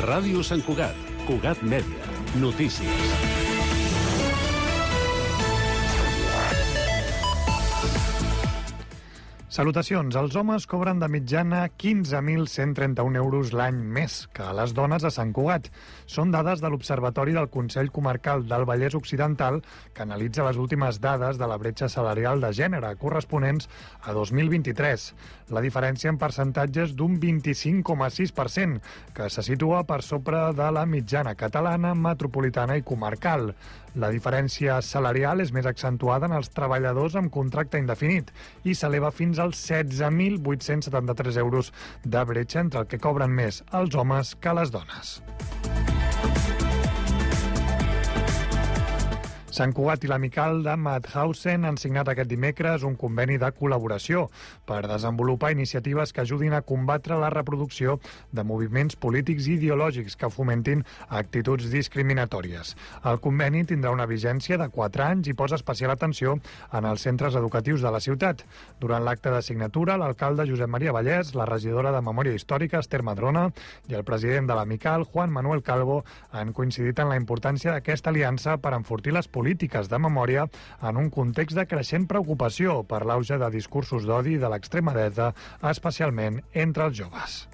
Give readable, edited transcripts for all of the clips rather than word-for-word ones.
Ràdio Sant Cugat, Cugat Mèdia, notícies. Salutacions. Els homes cobren de mitjana 15.131 euros l'any més que les dones a Sant Cugat. Són dades de l'Observatori del Consell Comarcal del Vallès Occidental, que analitza les últimes dades de la bretxa salarial de gènere corresponents a 2023. La diferència en percentatges d'un 25,6%, que se situa per sobre de la mitjana catalana, metropolitana i comarcal. La diferència salarial és més accentuada en els treballadors amb contracte indefinit i s'eleva fins als 16.873 euros de bretxa entre el que cobren més els homes que les dones. Sant Cugat i l'Amical de Mauthausen han signat aquest dimecres un conveni de col·laboració per desenvolupar iniciatives que ajudin a combatre la reproducció de moviments polítics i ideològics que fomentin actituds discriminatòries. El conveni tindrà una vigència de 4 anys i posa especial atenció en els centres educatius de la ciutat. Durant l'acte de signatura, l'alcalde Josep Maria Vallès, la regidora de Memòria Històrica, Esther Madrona, i el president de l'Amical, Juan Manuel Calvo, han coincidit en la importància d'aquesta aliança per enfortir les polítiques de memòria en un context de creixent preocupació per l'auge de discursos d'odi de l'extrema dreta, especialment entre els joves.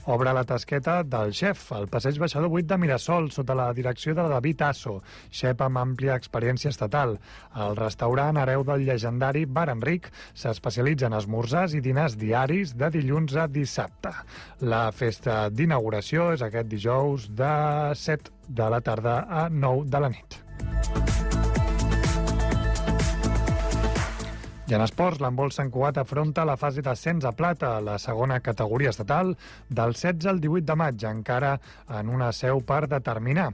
Obre la tasqueta del xef, al passeig Baixador 8 de Mirasol, sota la direcció de David Asso, xef amb àmplia experiència estatal. El restaurant hereu del llegendari Bar Enric s'especialitza en esmorzars i dinars diaris de dilluns a dissabte. La festa d'inauguració és aquest dijous de 7 de la tarda a 9 de la nit. I en esports, l'handbol Sant Cugat afronta la fase d'ascens a plata, la segona categoria estatal, del 16 al 18 de maig, encara en una seu per determinar.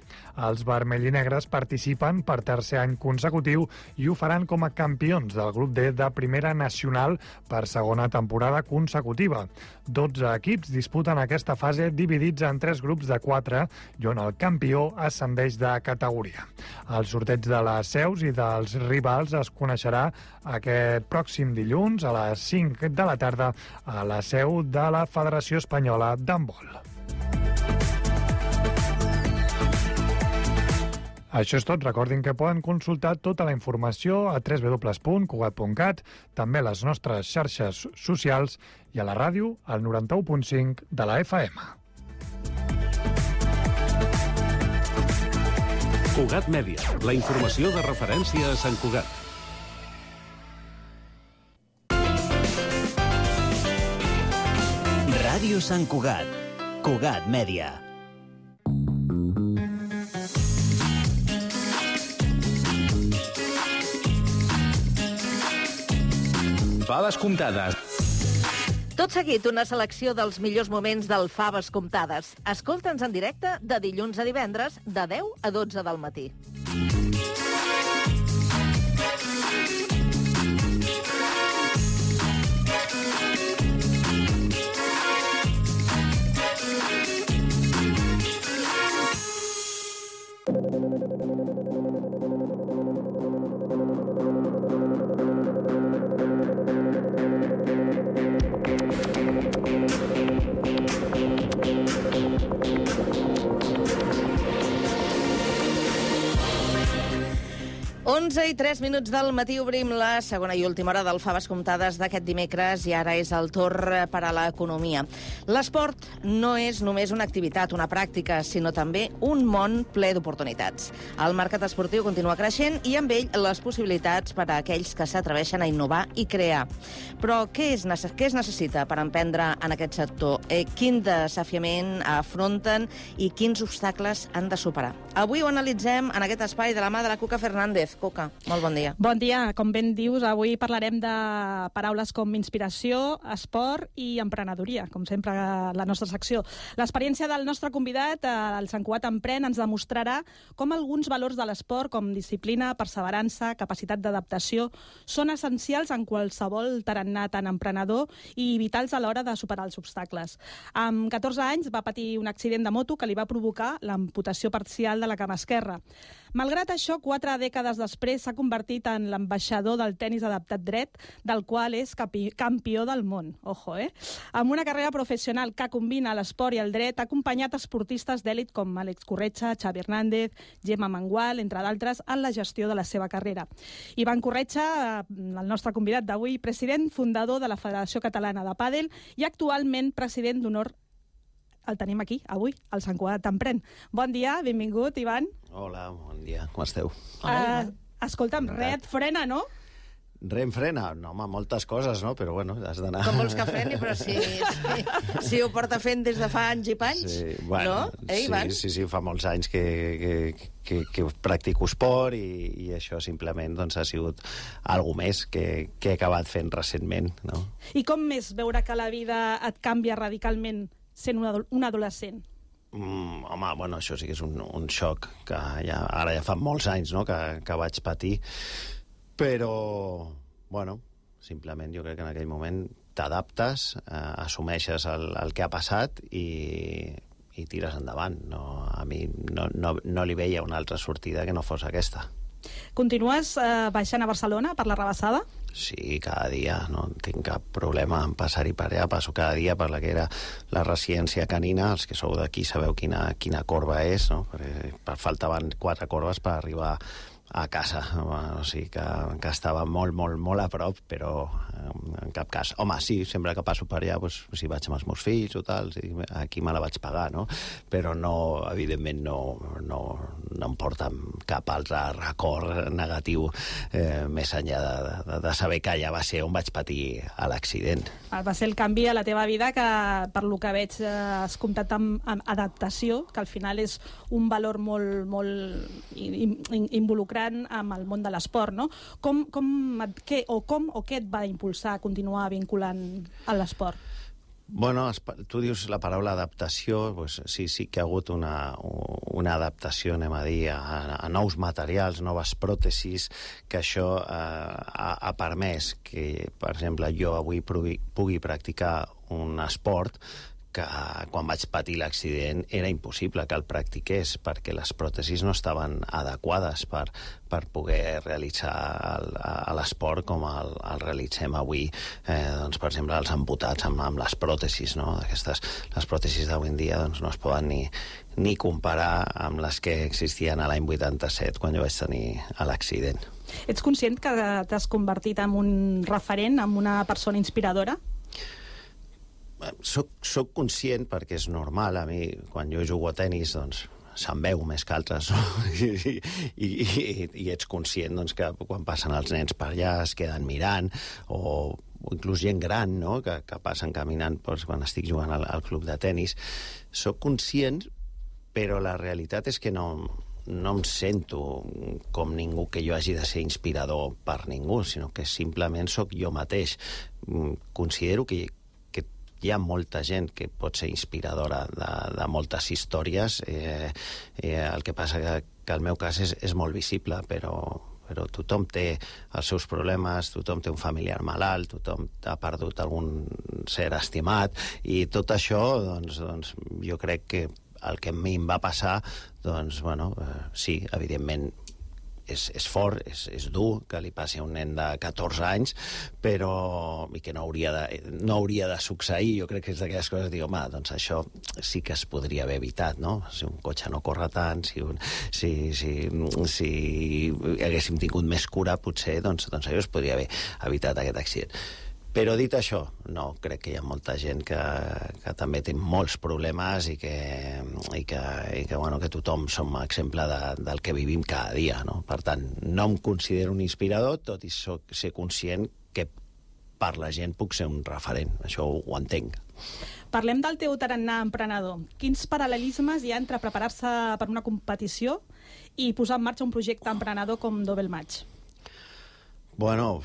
Els vermellinegres participen per tercer any consecutiu i ho faran com a campions del grup D de Primera Nacional per segona temporada consecutiva. 12 equips disputen aquesta fase dividits en 3 grups de 4 i on el campió ascendeix de categoria. El sorteig de les seus i dels rivals es coneixerà aquest pròxim dilluns a les 5 de la tarda a la seu de la Federació Espanyola d'Handbol. Això és tot. Recordin que poden consultar tota la informació a www.cugat.cat, també a les nostres xarxes socials i a la ràdio al 91.5 de la FM. Cugat Mèdia, la informació de referència a Sant Cugat. Ràdio Sant Cugat, Cugat Mèdia. Faves comptades. Tot seguit, una selecció dels millors moments del Faves comptades. Escolta'ns en directe de dilluns a divendres, de 10 a 12 del matí. I 3 minuts del matí obrim la segona i última hora del Faves comptades d'aquest dimecres i ara és el torn per a l'economia. L'esport no és només una activitat, una pràctica, sinó també un món ple d'oportunitats. El mercat esportiu continua creixent i amb ell les possibilitats per a aquells que s'atreveixen a innovar i crear. Però què es necessita per emprendre en aquest sector? Quin desafiament afronten i quins obstacles han de superar? Avui ho analitzem en aquest espai de la mà de la Cuca Fernández. Cuca, molt bon dia. Bon dia. Com ben dius, avui parlarem de paraules com inspiració, esport i emprenedoria, com sempre la nostra secció. L'experiència del nostre convidat, el Sant Cugat Emprèn, ens demostrarà com alguns valors de l'esport, com disciplina, perseverança, capacitat d'adaptació, són essencials en qualsevol tarannà tan emprenedor i vitals a l'hora de superar els obstacles. Amb 14 anys va patir un accident de moto que li va provocar l'amputació parcial de la cama esquerra. Malgrat això, 4 dècades després s'ha convertit en l'ambaixador del tenis adaptat dret, del qual és campió del món. Ojo, Amb una carrera professional que combina l'esport i el dret, ha acompanyat esportistes d'èlit com Àlex Corretja, Xavi Hernández, Gemma Mengual, entre d'altres, en la gestió de la seva carrera. Ivan Corretja, el nostre convidat d'avui, president fundador de la Federació Catalana de Pàdel i actualment president d'honor. El tenim aquí, avui, al Sant Cugat d'Empren. Bon dia, benvingut, Ivan. Hola, bon dia, com esteu? Escolta'm, res et frena, no? Res em frena? No, home, moltes coses, no? Però, bueno, has d'anar... Com vols que freni, però si ho porta fent des de fa anys i panys, sí, bueno, no? Ivan? Sí, fa molts anys que practico esport i això simplement doncs, ha sigut alguna més que he acabat fent recentment, no? I com és veure que la vida et canvia radicalment sent un adolescent? Home, bueno, això sí que és un xoc que ara ja fa molts anys, no?, que vaig patir, però, bueno, simplement jo crec que en aquell moment t'adaptes, assumeixes el que ha passat i tires endavant. No, a mi no li veia una altra sortida que no fos aquesta. Continues baixant a Barcelona per la Rabassada? Sí, cada dia, no tinc cap problema en passar-hi per allà. Passo cada dia per la que era la residència canina. Els que sou d'aquí sabeu quina corba és, no? Perquè faltaven 4 corbes per arribar a casa, o sigui que estava molt a prop, però en cap cas. Home, sí, sempre que passo per allà, doncs, si vaig amb els meus fills o tal, aquí me la vaig pagar, no? Però no, evidentment, no em porta cap altre record negatiu més enllà de saber que allà va ser on vaig patir l'accident. Va ser el canvi a la teva vida que, per lo que veig, has comptat amb adaptació, que al final és un valor molt involucrat amb el món de l'esport, no? Què et va impulsar a continuar vinculant a l'esport? Bueno, tu dius la paraula adaptació, doncs sí que ha hagut una adaptació, anem a dir, a nous materials, noves pròtesis, que això ha permès que, per exemple, jo avui pugui practicar un esport que quan vaig patir l'accident era impossible que el practiqués perquè les pròtesis no estaven adequades per poder realitzar l'esport com el realitzem avui, doncs, per exemple, els amputats amb les pròtesis, no? Les pròtesis d'avui en dia doncs, no es poden ni comparar amb les que existien a l'any 87 quan jo vaig tenir l'accident. Ets conscient que t'has convertit en un referent, en una persona inspiradora? Soc conscient perquè és normal. A mi, quan jo jugo a tenis, doncs, se'n veu més que altres, no? I ets conscient doncs, que quan passen els nens per allà es queden mirant, o inclús gent gran, no?, que passen caminant doncs, quan estic jugant al club de tenis. Soc conscient, però la realitat és que no em sento com ningú que jo hagi de ser inspirador per ningú, sinó que simplement sóc jo mateix. Considero que hi ha molta gent que pot ser inspiradora de moltes històries. El que passa que el meu cas és molt visible, però tothom té els seus problemes, tothom té un familiar malalt, tothom ha perdut algun ser estimat, i tot això, doncs jo crec que el que a mi em va passar, doncs, bueno, sí, evidentment, és fort, és dur que li passi a un nen de 14 anys, però i que no hauria de succeir. Jo crec que és d'aquelles coses, dic, home, doncs això sí que es podria haver evitat, no? Si un cotxe no corre tant, si haguéssim tingut més cura, potser, doncs això es podria haver evitat aquest accident. Però dit això, no, crec que hi ha molta gent que també té molts problemes i que tothom som exemple del que vivim cada dia, no? Per tant, no em considero un inspirador, tot i ser conscient que per la gent puc ser un referent. Això ho entenc. Parlem del teu tarannà emprenedor. Quins paral·lelismes hi ha entre preparar-se per una competició i posar en marxa un projecte emprenedor com Double Match? Bueno,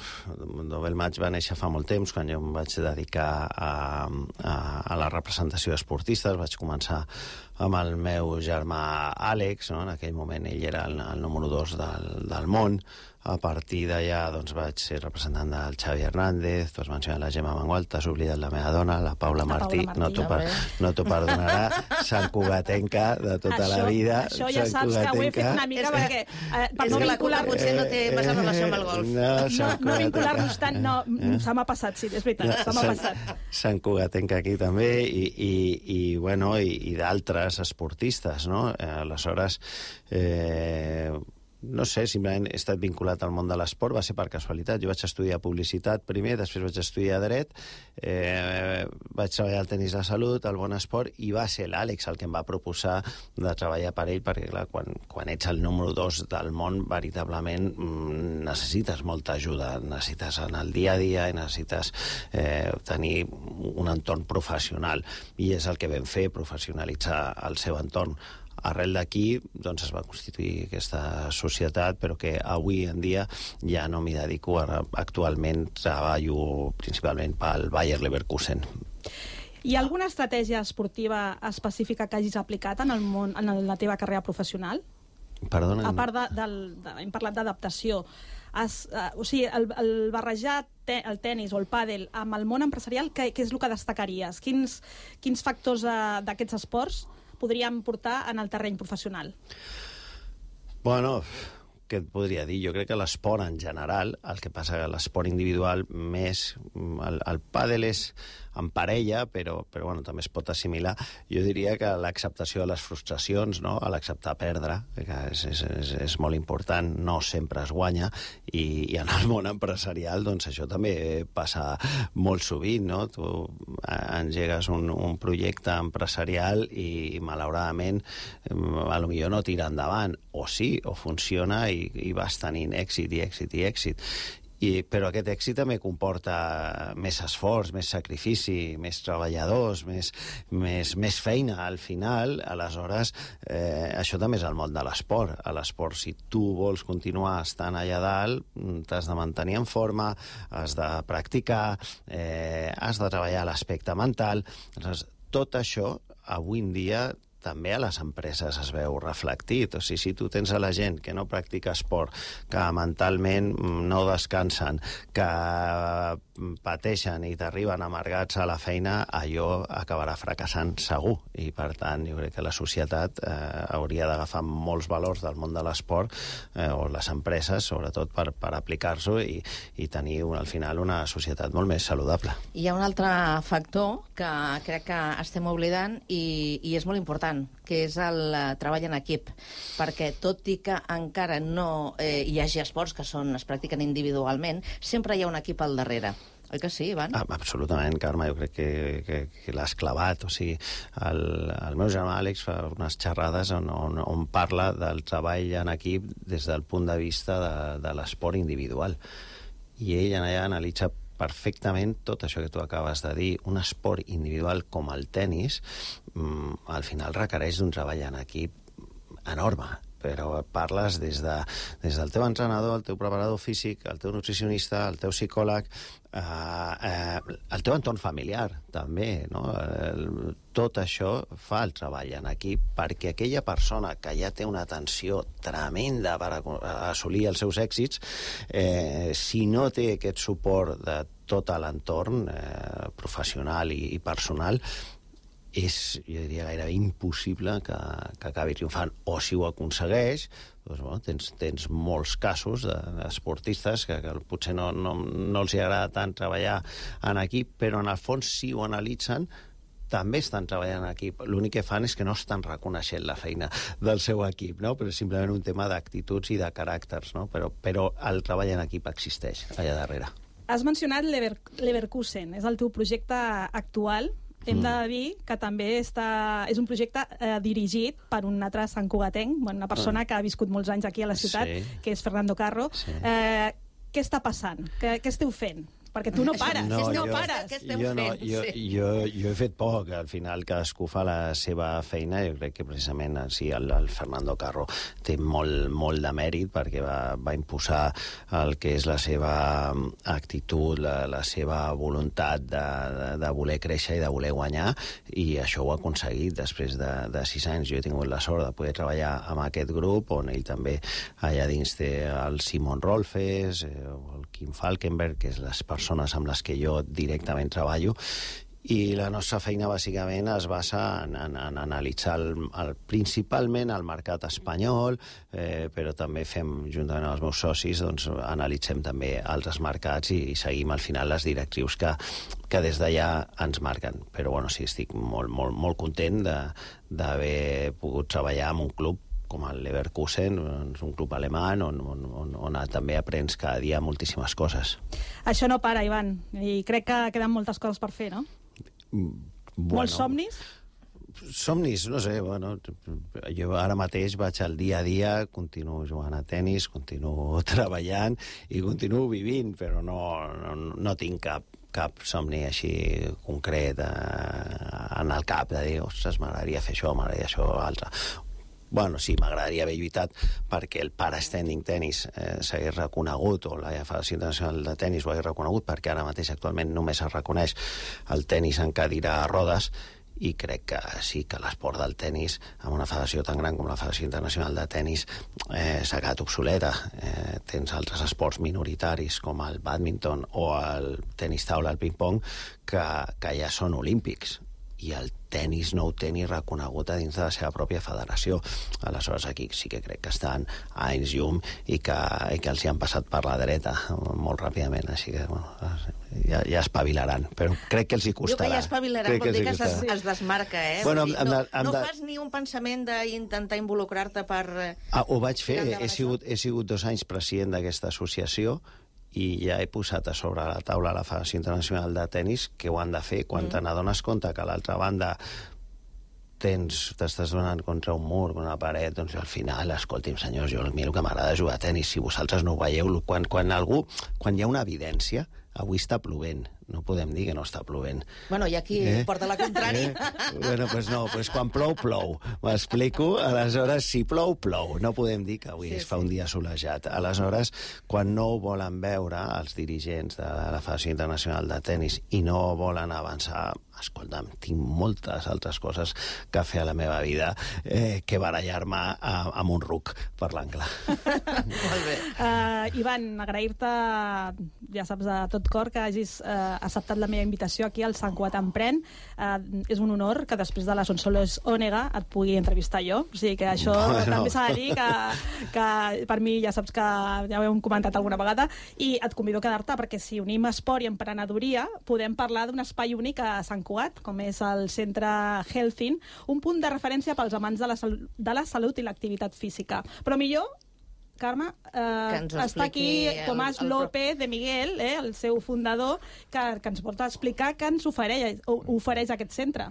Double Match va néixer fa molt temps, quan jo em vaig dedicar a la representació d'esportistes. Vaig començar amb el meu germà Àlex, no? En aquell moment ell era el número 2 del món, A partir d'allà vaig ser representant del Xavi Hernández, tu has mencionat la Gemma Mengual, t'has oblidat la meva dona, la Paula Martí, no t'ho perdonarà, santcugatenca de tota la vida. Això ja saps que ho he fet una mica perquè... És que la Cuca potser no té massa relació amb el golf. No vincular-nos tant, no, se m'ha passat, sí, és veritat, se m'ha passat. Santcugatenca aquí també, i d'altres esportistes, no? Aleshores, no sé, simplement he estat vinculat al món de l'esport, va ser per casualitat. Jo vaig estudiar publicitat primer, després vaig estudiar dret, vaig treballar al tenis de salut, al bon esport, i va ser l'Àlex el que em va proposar de treballar per ell, perquè clar, quan ets el número 2 del món, veritablement necessites molta ajuda, necessites en el dia a dia i necessites tenir un entorn professional, i és el que vam fer, professionalitzar el seu entorn. Arrel d'aquí es va constituir aquesta societat, però que avui en dia ja no m'hi dedico. Actualment treballo principalment pel Bayer Leverkusen. Hi ha alguna estratègia esportiva específica que hagis aplicat en la teva carrera professional? Perdona? A part hem parlat d'adaptació. O sigui, el barrejar el tenis o el pàdel amb el món empresarial, què és el que destacaries? Quins factors d'aquests esports podríem portar en el terreny professional? Bueno, què et podria dir? Jo crec que l'esport en general, el que passa que l'esport individual més... El pàdel és en parella, però bueno, també es pot assimilar. Jo diria que l'acceptació de les frustracions, no? L'acceptar perdre, que és molt important, no sempre es guanya, i en el món empresarial això també passa molt sovint, no? Tu engegues un projecte empresarial i malauradament potser no tira endavant, o sí, o funciona i vas tenint èxit i èxit i èxit. Però aquest èxit també comporta més esforç, més sacrifici, més treballadors, més feina al final. Aleshores, això també és el món de l'esport. A l'esport, si tu vols continuar estant allà dalt, t'has de mantenir en forma, has de practicar, has de treballar l'aspecte mental. Aleshores, tot això, avui en dia, també a les empreses es veu reflectit. O sigui, si tu tens a la gent que no practica esport, que mentalment no descansen, que pateixen i t'arriben amargats a la feina, allò acabarà fracassant segur. I, per tant, jo crec que la societat hauria d'agafar molts valors del món de l'esport, o les empreses, sobretot per aplicar-s'ho i tenir, al final, una societat molt més saludable. Hi ha un altre factor que crec que estem oblidant i és molt important, que és el treball en equip, perquè tot i que encara no hi hagi esports que es practiquen individualment, sempre hi ha un equip al darrere. Oi que sí, Ivan? Absolutament, Carme, jo crec que l'has clavat. O sigui, el meu germà Àlex fa unes xerrades on parla del treball en equip des del punt de vista de l'esport individual. I ell allà analitza perfectament tot això que tu acabes de dir. Un esport individual com el tenis, al final requereix d'un treball en equip enorme, però parles des del teu entrenador, el teu preparador físic, el teu nutricionista, el teu psicòleg, el teu entorn familiar, també, no? Tot això fa el treball en equip, perquè aquella persona que ja té una tensió tremenda per assolir els seus èxits, si no té aquest suport de tot l'entorn professional i personal, és, jo diria, gairebé impossible que acabi triomfant. O si ho aconsegueix, tens molts casos d'esportistes que potser no els agrada tant treballar en equip, però en el fons, si ho analitzen, també estan treballant en equip. L'únic que fan és que no estan reconeixent la feina del seu equip, no? Però és simplement un tema d'actituds i de caràcters, no? Però el treball en equip existeix allà darrere. Has mencionat Leverkusen, és el teu projecte actual. Hem de dir que també és un projecte dirigit per un altre santcugatenc, una persona que ha viscut molts anys aquí a la ciutat, que és Fernando Carro. Sí. Què està passant? Què esteu fent? Perquè tu no pares. No pares. Què esteu fent? Jo he fet poc. Al final cadascú fa la seva feina. Jo crec que precisament el Fernando Carro té molt de mèrit perquè va imposar el que és la seva actitud, la seva voluntat de voler créixer i de voler guanyar, i això ho ha aconseguit després de 6 anys. Jo he tingut la sort de poder treballar amb aquest grup, on ell també allà dins té el Simon Rolfes, el Kim Falkenberg, que és les persones amb les que jo directament treballo, i la nostra feina bàsicament es basa en analitzar principalment el mercat espanyol, però també fem, juntament amb els meus socis, doncs analitzem també altres mercats i seguim al final les directrius que des d'allà ens marquen. Però bueno, sí, estic molt content d'haver pogut treballar en un club com el Leverkusen, un club alemany on també aprens cada dia moltíssimes coses. Això no para, Ivan, i crec que queden moltes coses per fer, no? Molts somnis? Somnis, no sé, bueno, jo ara mateix vaig al dia a dia, continuo jugant a tennis, continuo treballant i continuo vivint, però no tinc cap somni així concret en el cap de dir, ostres, m'agradaria fer això, m'agradaria això, altre. Bueno, sí, m'agradaria haver lluitat perquè el para-standing tennis s'hagués reconegut, o la Federació Internacional de Tennis ho hagués reconegut, perquè ara mateix actualment només es reconeix el tennis en cadira a rodes, i crec que sí que l'esport del tennis, amb una federació tan gran com la Federació Internacional de Tennis, s'ha quedat obsoleta. Tens altres esports minoritaris com el bàdminton o el tenis taula, el ping-pong, que ja són olímpics, i el tenis no ho té ni reconegut a dins de la seva pròpia federació. Aleshores, aquí sí que crec que estan a anys llum i que els hi han passat per la dreta molt ràpidament, així que bueno, ja espavilaran, però crec que els hi costarà. Jo que ja espavilaran vol dir que es desmarca, eh? Bueno, no fas ni un pensament d'intentar involucrar-te per... Ho vaig fer, he sigut 2 anys president d'aquesta associació, i ja he posat a sobre la taula la Federació Internacional de Tennis que ho han de fer quan te n'adones compte que a l'altra banda t'estàs donant contra un mur, una paret, doncs al final, escolti'm, senyors, jo a mi el que m'agrada és jugar a tennis, si vosaltres no ho veieu, quan hi ha una evidència, avui està plovent, no podem dir que no està plovent. Bueno, i aquí porta la contrària. Bueno, doncs quan plou, plou. M'explico? Aleshores, si plou, plou. No podem dir que avui es fa un dia solejat. Aleshores, quan no ho volen veure els dirigents de la Federació Internacional de Tennis i no volen avançar, escolta'm, tinc moltes altres coses que fer a la meva vida que barallar-me amb un ruc, parlant clar. Molt bé. Ivan, agrair-te, ja saps, de tot cor que hagis acceptat la meva invitació aquí al Sant Cugat Emprèn. És un honor que després de la Sonsoles Ònega et pugui entrevistar jo. O sigui que això també s'ha de dir que per mi ja saps que ja ho hem comentat alguna vegada, i et convido a quedar-te perquè si unim esport i emprenedoria podem parlar d'un espai únic a Sant Cugat, com és el Centre Healthin, un punt de referència pels amants de la salut i l'activitat física. Però millor, Carme, està aquí Tomàs López de Miguel, el seu fundador, que ens pot explicar què ens ofereix aquest centre.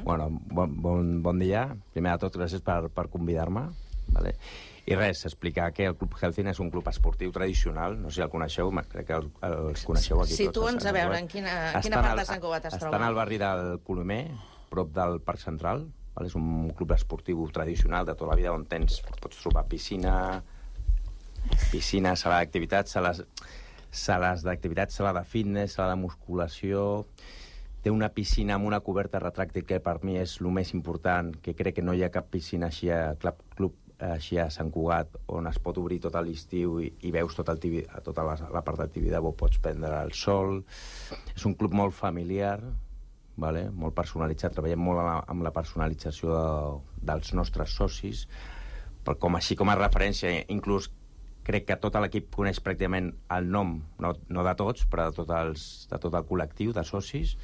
Bueno, bon dia. Primer de tot, gràcies per convidar-me. Vale. I res, explicar que el Club Healthin és un club esportiu tradicional, no sé si el coneixeu, crec que els coneixeu aquí tots. Situa'ns a veure en quina part de Sant Cugat es troba. Estan al barri del Colomer, prop del Parc Central. És un club esportiu tradicional de tota la vida on pots trobar piscina, sala d'activitats, sales d'activitats, sala de fitness, sala de musculació. Té una piscina amb una coberta retràctil que per mi és el més important, que crec que no hi ha cap piscina així a club així a Sant Cugat, on es pot obrir tot l'estiu i veus tota la part d'activitat, pots prendre el sol. És un club molt familiar, molt personalitzat, treballem molt amb la personalització dels nostres socis, així com a referència, inclús crec que tot l'equip coneix pràcticament el nom, no de tots, però de tot el col·lectiu de socis.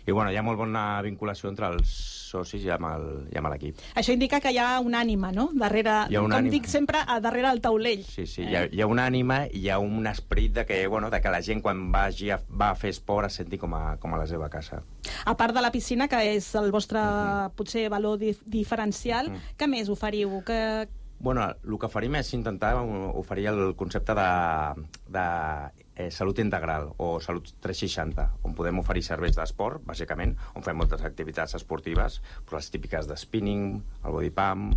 I hi ha molt bona vinculació entre els socis i amb l'equip. Això indica que hi ha una ànima, no? Com dic sempre, darrere el taulell. Sí, hi ha una ànima i hi ha un esperit de que la gent quan va a fer esport es senti com a la seva casa. A part de la piscina, que és el vostre potser valor diferencial, què més oferiu? El que oferim és intentar oferir el concepte de Salut Integral o Salut 360, on podem oferir serveis d'esport, bàsicament, on fem moltes activitats esportives, però les típiques de spinning, el body pump,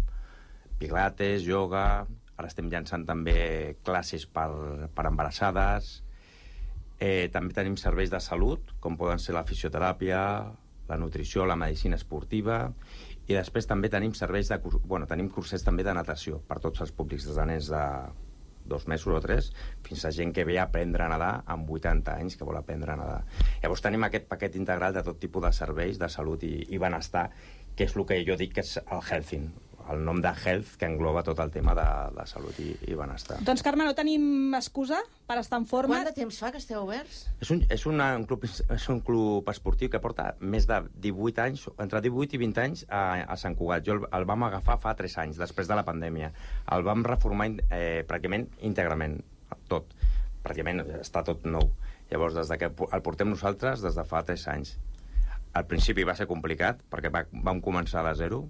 pilates, yoga. Ara estem llançant també classes per embarassades. També tenim serveis de salut, com poden ser la fisioteràpia, la nutrició, la medicina esportiva, i després també tenim tenim cursets també de natació per tots els públics, des de nens de 2 mesos o 3, fins a gent que ve a aprendre a nedar amb 80 anys, que vol aprendre a nedar. Llavors tenim aquest paquet integral de tot tipus de serveis de salut i benestar, que és el que jo dic que és el Healthing, el nom de Health, que engloba tot el tema de salut i benestar. Doncs, Carme, no tenim excusa per estar en forma. Quant de temps fa que esteu oberts? És un club esportiu que porta més de 18 anys, entre 18 i 20 anys a Sant Cugat. Jo el vam agafar fa 3 anys, després de la pandèmia. El vam reformar pràcticament íntegrament, tot. Pràcticament està tot nou. Llavors, des que el portem nosaltres, des de fa 3 anys. Al principi va ser complicat, perquè vam començar de zero,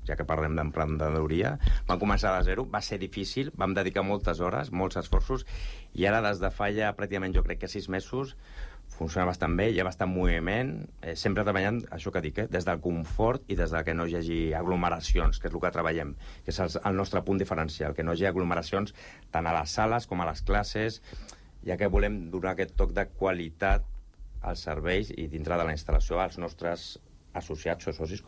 ja que parlem d'emprenedoria, vam començar de zero, va ser difícil, vam dedicar moltes hores, molts esforços, i ara des de fa ja pràcticament jo crec que 6 mesos funciona bastant bé, hi ha bastant moviment, sempre treballant, això que dic, des del confort i des de que no hi hagi aglomeracions, que és el que treballem, que és el nostre punt diferencial, que no hi hagi aglomeracions tant a les sales com a les classes, ja que volem donar aquest toc de qualitat als serveis i dintre de la instal·lació als nostres associats o socis,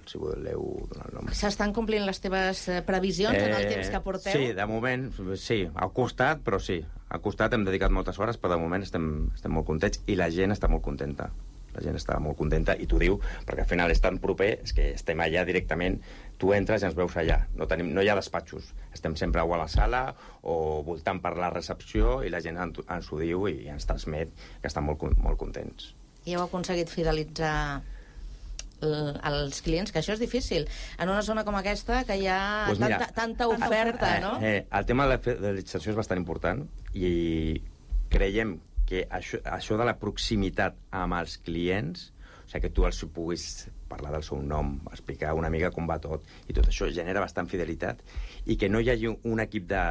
si voleu donar el nom. S'estan complint les teves previsions en el temps que porteu? Sí, de moment, sí. Ha costat, però sí. Ha costat, hem dedicat moltes hores, però de moment estem molt contents i la gent està molt contenta. La gent està molt contenta i t'ho diu, perquè al final és tan proper, és que estem allà directament, tu entres i ens veus allà. No hi ha despatxos. Estem sempre o a la sala o voltant per la recepció i la gent ens ho diu i ens transmet que estan molt contents. I heu aconseguit fidelitzar els clients, que això és difícil en una zona com aquesta, que hi ha tanta oferta, no? El tema de la fidelització és bastant important i creiem que això de la proximitat amb els clients, o sigui, que tu els puguis parlar del seu nom, explicar una mica com va tot, i tot això genera bastant fidelitat, i que no hi hagi un equip de...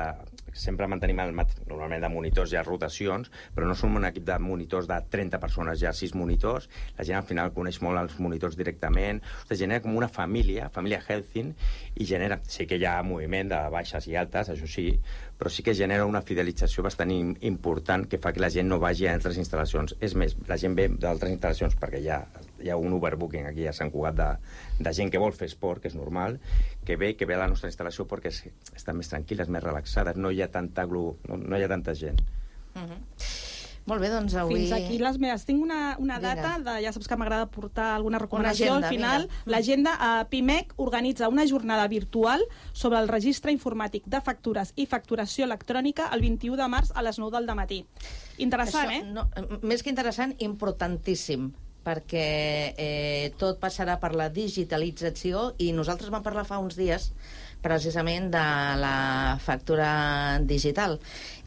Sempre mantenim normalment de monitors, hi ha rotacions, però no som un equip de monitors de 30 persones, hi ha 6 monitors, la gent al final coneix molt els monitors directament, o sigui, genera com una família Healthing, i genera... Sí que hi ha moviment de baixes i altes, això sí, però sí que genera una fidelització bastant important que fa que la gent no vagi a altres instal·lacions. És més, la gent ve d'altres instal·lacions perquè hi ha un overbooking aquí a Sant Cugat de gent que vol fer esport, que és normal, que ve a la nostra instal·lació perquè estan més tranquil·les, més relaxades, no hi ha tanta gent. Molt bé, doncs avui... Fins aquí les meves. Tinc una data, ja saps que m'agrada portar alguna recomanació al final. L'agenda. PIMEC organitza una jornada virtual sobre el registre informàtic de factures i facturació electrònica el 21 de març a les 9 del matí. Interessant, Més que interessant, importantíssim, perquè tot passarà per la digitalització i nosaltres vam parlar fa uns dies precisament de la factura digital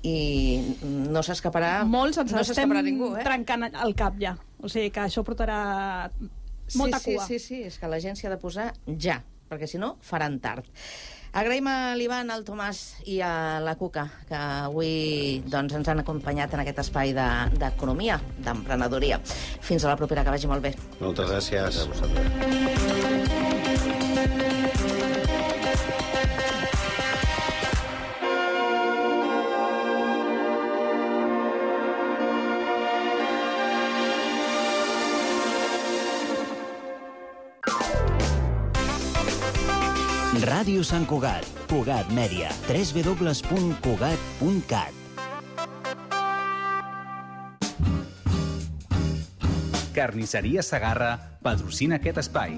i no s'escaparà molts ens estem ningú, trencant el cap ja, o sigui que això portarà molta cua. Sí, és que la gent s'hi ha de posar ja, perquè si no faran tard. Agraïm a l'Ivan, al Tomàs i a la Cuca, que avui ens han acompanyat en aquest espai d'economia, d'emprenedoria. Fins a la propera, que vagi molt bé. Moltes gràcies. A vosaltres. Ràdio Sant Cugat, Cugat Mèdia, www.cugat.cat. Carnisseria Segarra patrocina aquest espai.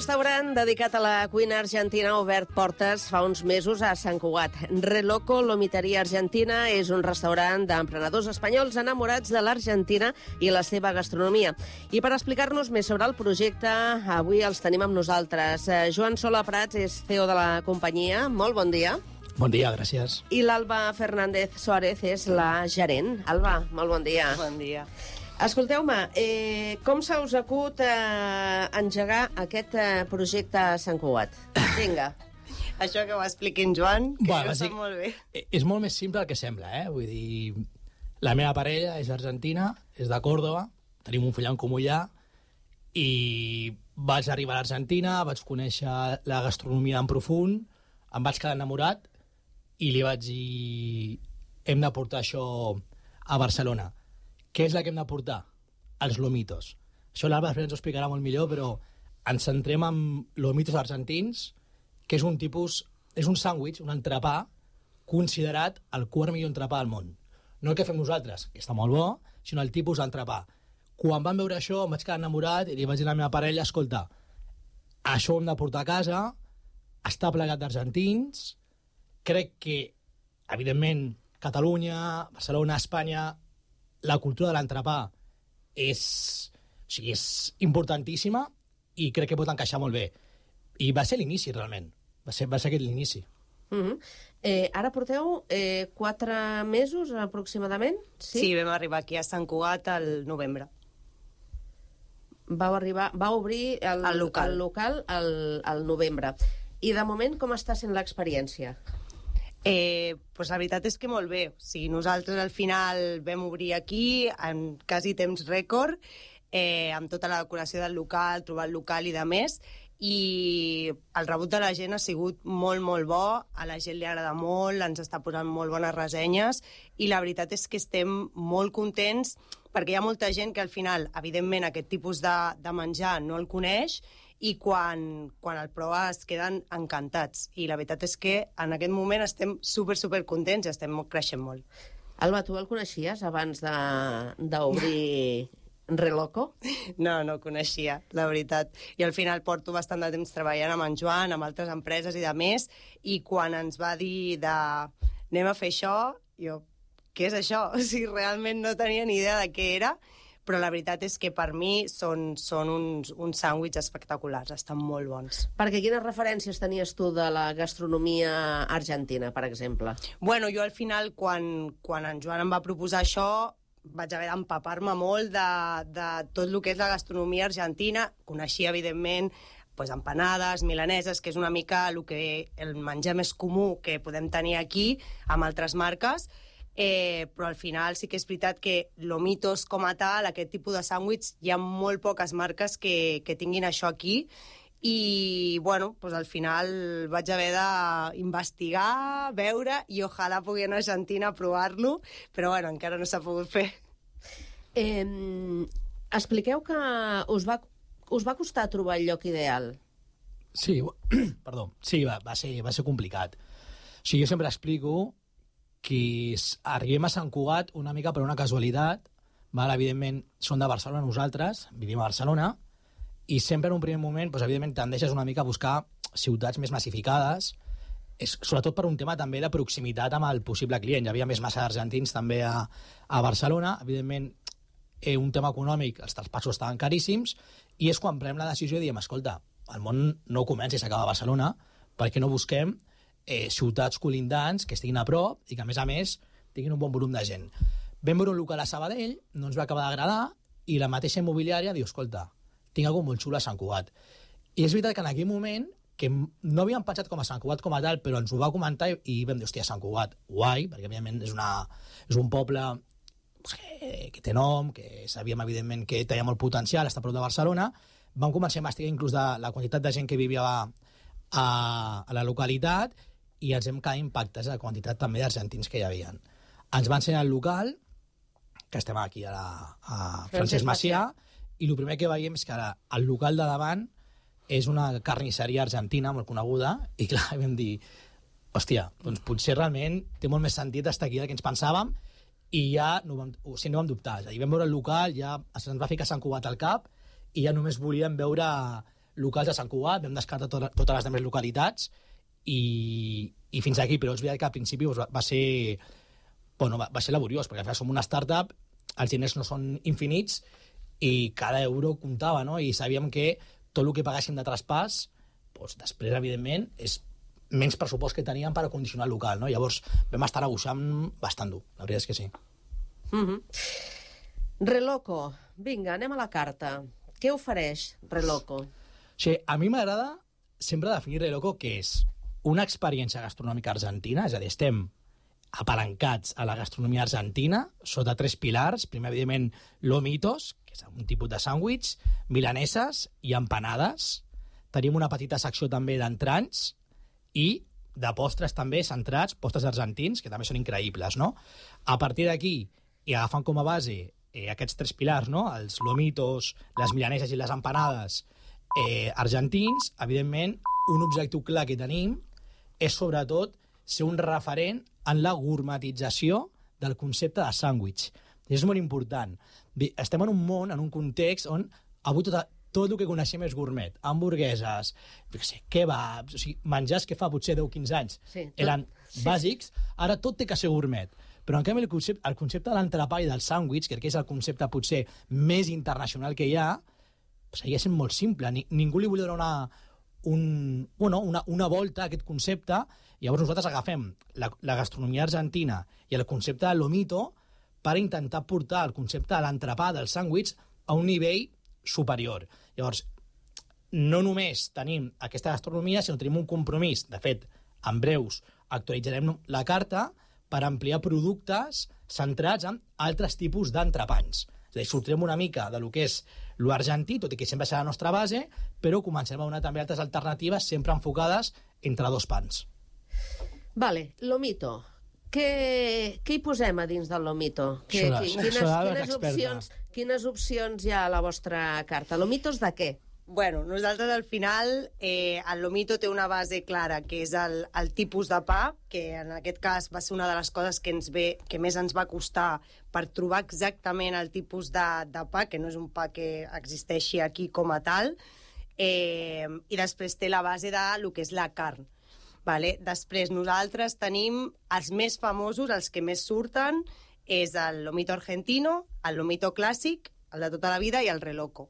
restaurant dedicat a la cuina argentina ha obert portes fa uns mesos a Sant Cugat. Reloco Lomiteria Argentina és un restaurant d'emprenedors espanyols enamorats de l'Argentina i la seva gastronomia. I per explicar-nos més sobre el projecte, avui els tenim amb nosaltres. Joan Sola Prats és CEO de la companyia. Molt bon dia. Bon dia, gràcies. I l'Alba Fernández Suárez és la gerent. Alba, molt bon dia. Bon dia. Escolteu-me, com se us acut engegar aquest projecte a Sant Cugat? Vinga. Això que ho expliqui en Joan, que ho sap molt bé. És molt més simple el que sembla, eh? Vull dir, la meva parella és argentina, és de Còrdova, tenim un fill en comú allà, i vaig arribar a l'Argentina, vaig conèixer la gastronomia en profund, em vaig quedar enamorat, i li vaig dir, hem de portar això a Barcelona. Què és la que hem de portar? Els lomitos. Això l'Alba després ens ho explicarà molt millor, però ens centrem en lomitos argentins, que és un tipus... És un sàndwich, un entrepà, considerat el quart millor entrepà del món. No el que fem nosaltres, que està molt bo, sinó el tipus d'entrepà. Quan vam veure això, em vaig quedar enamorat i li vaig dir a la meva parella, escolta, això ho hem de portar a casa, està plegat d'argentins, crec que, evidentment, Catalunya, Barcelona, Espanya, la cultura de l'entrepà és importantíssima i crec que pot encaixar molt bé. I va ser l'inici, realment. Va ser aquest l'inici. Ara porteu 4 mesos, aproximadament? Sí, vam arribar aquí a Sant Cugat al novembre. Vau obrir el local al novembre. I de moment, com està sent l'experiència? Pues la veritat és que molt bé. O sigui, nosaltres al final vam obrir aquí en quasi temps rècord, amb tota la decoració del local, trobar el local i de més, i el rebut de la gent ha sigut molt, molt bo, a la gent li agrada molt, ens està posant molt bones ressenyes, i la veritat és que estem molt contents, perquè hi ha molta gent que al final, evidentment, aquest tipus de menjar no el coneix, i quan el prova es queden encantats. I la veritat és que en aquest moment estem super contents i estem creixent molt. Alba, tu el coneixies abans d'obrir Reloco? No ho coneixia, la veritat. I al final porto bastant de temps treballant amb en Joan, amb altres empreses i de més, i quan ens va dir anem a fer això, jo, què és això? O sigui, realment no tenia ni idea de què era, però la veritat és que per mi són uns sàndwichs espectaculars, estan molt bons. Perquè quines referències tenies tu de la gastronomia argentina, per exemple? Bueno, jo al final, quan en Joan em va proposar això, vaig haver d'empapar-me molt de tot el que és la gastronomia argentina. Coneixia, evidentment, empanades, milaneses, que és una mica el menjar més comú que podem tenir aquí, amb altres marques, però al final sí que és veritat que lomitos com a tal, aquest tipus de sàndwich, hi ha molt poques marques que tinguin això aquí, i bueno, al final vaig haver d'investigar, veure, i ojalà pugui anar a Argentina a provar-lo, però bueno, encara no s'ha pogut fer. Expliqueu que us va costar trobar el lloc ideal. Sí, perdó, sí, va ser complicat. O sigui, jo sempre explico que arribem a Sant Cugat una mica per una casualitat, evidentment són de Barcelona nosaltres, vivim a Barcelona, i sempre en un primer moment, evidentment, tendeixes una mica a buscar ciutats més massificades, sobretot per un tema també de proximitat amb el possible client. Hi havia més massa d'argentins també a Barcelona, evidentment, un tema econòmic, els traspassos estaven caríssims, i és quan prenem la decisió i diem, escolta, el món no comença i s'acaba a Barcelona, perquè no busquem ciutats colindants que estiguin a prop i que, a més, tinguin un bon volum de gent. Vam veure un local a Sabadell, no ens va acabar d'agradar, i la mateixa immobiliària diu, escolta, tinc alguna molt xulo a Sant Cugat. I és veritat que en aquell moment, que no havíem pensat com a Sant Cugat com a tal, però ens ho va comentar i vam dir, hòstia, Sant Cugat, guai, perquè, evidentment, és un poble que té nom, que sabíem, evidentment, que tenia molt potencial, està a prop de Barcelona. Vam començar a investigar inclús de la quantitat de gent que vivia a la localitat, i ens hem quedat impactats a la quantitat també d'argentins que hi havia. Ens va ensenyar el local, que estem aquí a Francesc Macià, i el primer que veiem és que el local de davant és una carnisseria argentina molt coneguda, i clar, vam dir, hòstia, doncs potser realment té molt més sentit estar aquí del que ens pensàvem, i ja no vam dubtar. És a dir, vam veure el local, ja ens va ficar Sant Cugat al cap, i ja només volíem veure locals de Sant Cugat, vam descartar totes les altres localitats i fins aquí, però és veritat que al principi va ser laboriós, perquè al final som una startup, els diners no són infinits i cada euro comptava, no? I sabíem que tot el que pagàssim de traspàs, doncs, després, evidentment, és menys pressupost que teníem per acondicionar el local, no? Llavors vam estar negociant bastant dur, la veritat és que sí. Reloco, vinga, anem a la carta. Què ofereix Reloco? Sí, a mi m'agrada sempre definir Reloco que és una experiència gastronòmica argentina, és a dir, estem apalancats a la gastronomia argentina sota 3 pilars. Primer, evidentment, lomitos, que és un tipus de sàndwich, milaneses i empanades. Tenim una petita secció també d'entranys i de postres també centrats, postres argentins, que també són increïbles, no? A partir d'aquí, i agafant com a base aquests 3 pilars, no? Els lomitos, les milaneses i les empanades argentins, evidentment, un objectiu clar que tenim és, sobretot, ser un referent en la gourmetització del concepte de sàndwich. I és molt important. Estem en un món, en un context on avui tot el que coneixem és gourmet. Hamburgueses, kebabs, o sigui, menjars que fa potser 10-15 anys eren bàsics, ara tot té que ser gourmet. Però en canvi el concepte de l'entrepà i del sàndwich, que és el concepte potser més internacional que hi ha, seguia sent molt simple. Ningú li volia donar una volta a aquest concepte. Llavors nosaltres agafem la gastronomia argentina i el concepte de lomito per intentar portar el concepte de l'entrepà, del sàndwich, a un nivell superior. Llavors, no només tenim aquesta gastronomia, sinó tenim un compromís. De fet, en breus actualitzarem la carta per ampliar productes centrats en altres tipus d'entrepans. És a dir, sortirem una mica de lo que és l'argentí, tot i que sempre serà la nostra base, però començarem a donar també altres alternatives sempre enfocades entre 2 pans. Vale, lomito. Què hi posem a dins del lomito? Quines opcions hi ha a la vostra carta? Lomitos de què? Bueno, nosaltres al final el lomito té una base clara, que és el tipus de pa, que en aquest cas va ser una de les coses que més ens va costar per trobar exactament el tipus de pa, que no és un pa que existeixi aquí com a tal, i després té la base de lo que és la carn. Vale? Després nosaltres tenim els més famosos, els que més surten, és el lomito argentino, el lomito clàssic, el de tota la vida, i el reloco.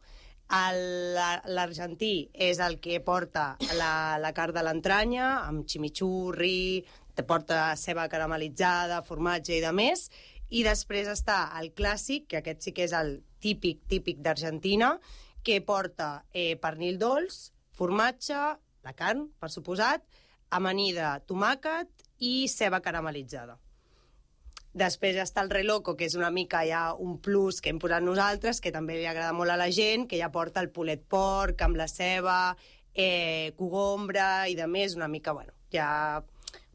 L'argentí és el que porta la carn de l'entranya, amb chimichurri, te porta ceba caramelitzada, formatge i de més, i després està el clàssic, que aquest sí que és el típic d'Argentina, que porta pernil dolç, formatge, la carn, per suposat, amanida, tomàquet i ceba caramelitzada. Després està el reloco, que és una mica ja un plus que hem posat nosaltres, que també li agrada molt a la gent, que ja porta el pulet porc amb la ceba, cogombra i de més, una mica, bueno, ja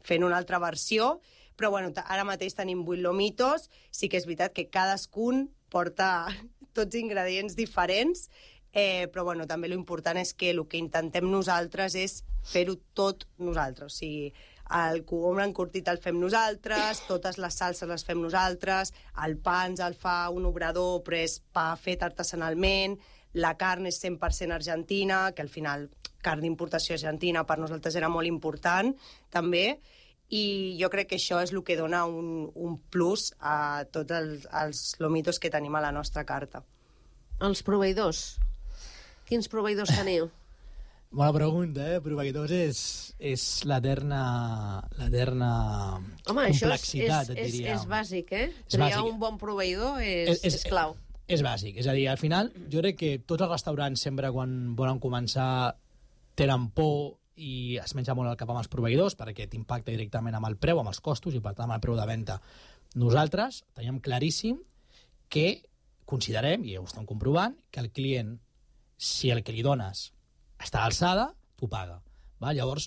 fent una altra versió. Però bueno, ara mateix tenim 8 lomitos, sí que és veritat que cadascun porta tots ingredients diferents, però bueno, també l'important és que el que intentem nosaltres és fer-ho tot nosaltres, o sigui, el cogombre encurtit el fem nosaltres, totes les salses les fem nosaltres, el pa ens el fa un obrador, però és pa fet artesanalment, la carn és 100% argentina, que al final carn d'importació argentina per nosaltres era molt important, també, i jo crec que això és el que dona un plus a tots els lomitos que tenim a la nostra carta. Els proveïdors. Quins proveïdors teniu? Bona pregunta, Proveïdors és l'eterna complexitat, et diria. És bàsic, Triar un bon proveïdor és clau. És bàsic, és a dir, al final, jo crec que tots els restaurants sempre quan volen començar tenen por i es menja molt el cap amb els proveïdors perquè t'impacta directament amb el preu, amb els costos i per tant amb el preu de venda. Nosaltres teníem claríssim que considerem, i ho estem comprovant, que el client, si el que li dones està a l'alçada, t'ho paga. Llavors,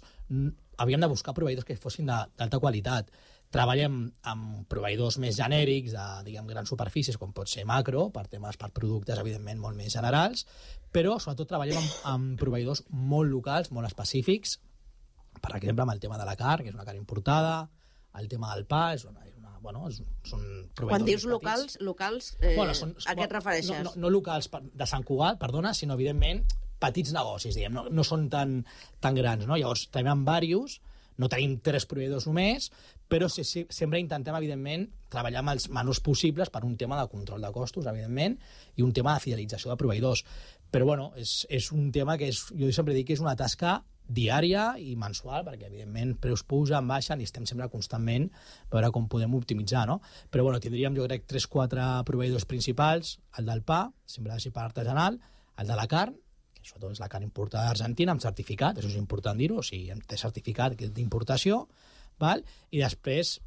havíem de buscar proveïdors que fossin d'alta qualitat. Treballem amb proveïdors més genèrics, de grans superfícies, com pot ser Macro, per productes, evidentment, molt més generals, però sobretot treballem amb proveïdors molt locals, molt específics, per exemple, amb el tema de la carn, que és una carn importada, el tema del pa, són proveïdors. Quan dius locals, a què et refereixes? No locals de Sant Cugat, perdona, sinó, evidentment, petits negocis, diguem, no són tan grans, no? Llavors, tenim diversos, no tenim 3 proveïdors només, però sempre intentem, evidentment, treballar amb els menors possibles per un tema de control de costos, evidentment, i un tema de fidelització de proveïdors. Però, bueno, és un tema que jo sempre dic que és una tasca diària i mensual, perquè, evidentment, preus pugen, baixen, i estem sempre constantment a veure com podem optimitzar, no? Però, bueno, tindríem, jo crec, 3-4 proveïdors principals, el del pa, sempre ha de ser pa artesanal, el de la carn, sobretot és la carn importada d'Argentina, amb certificat, això és important dir-ho, o sigui, té certificat d'importació, val? I després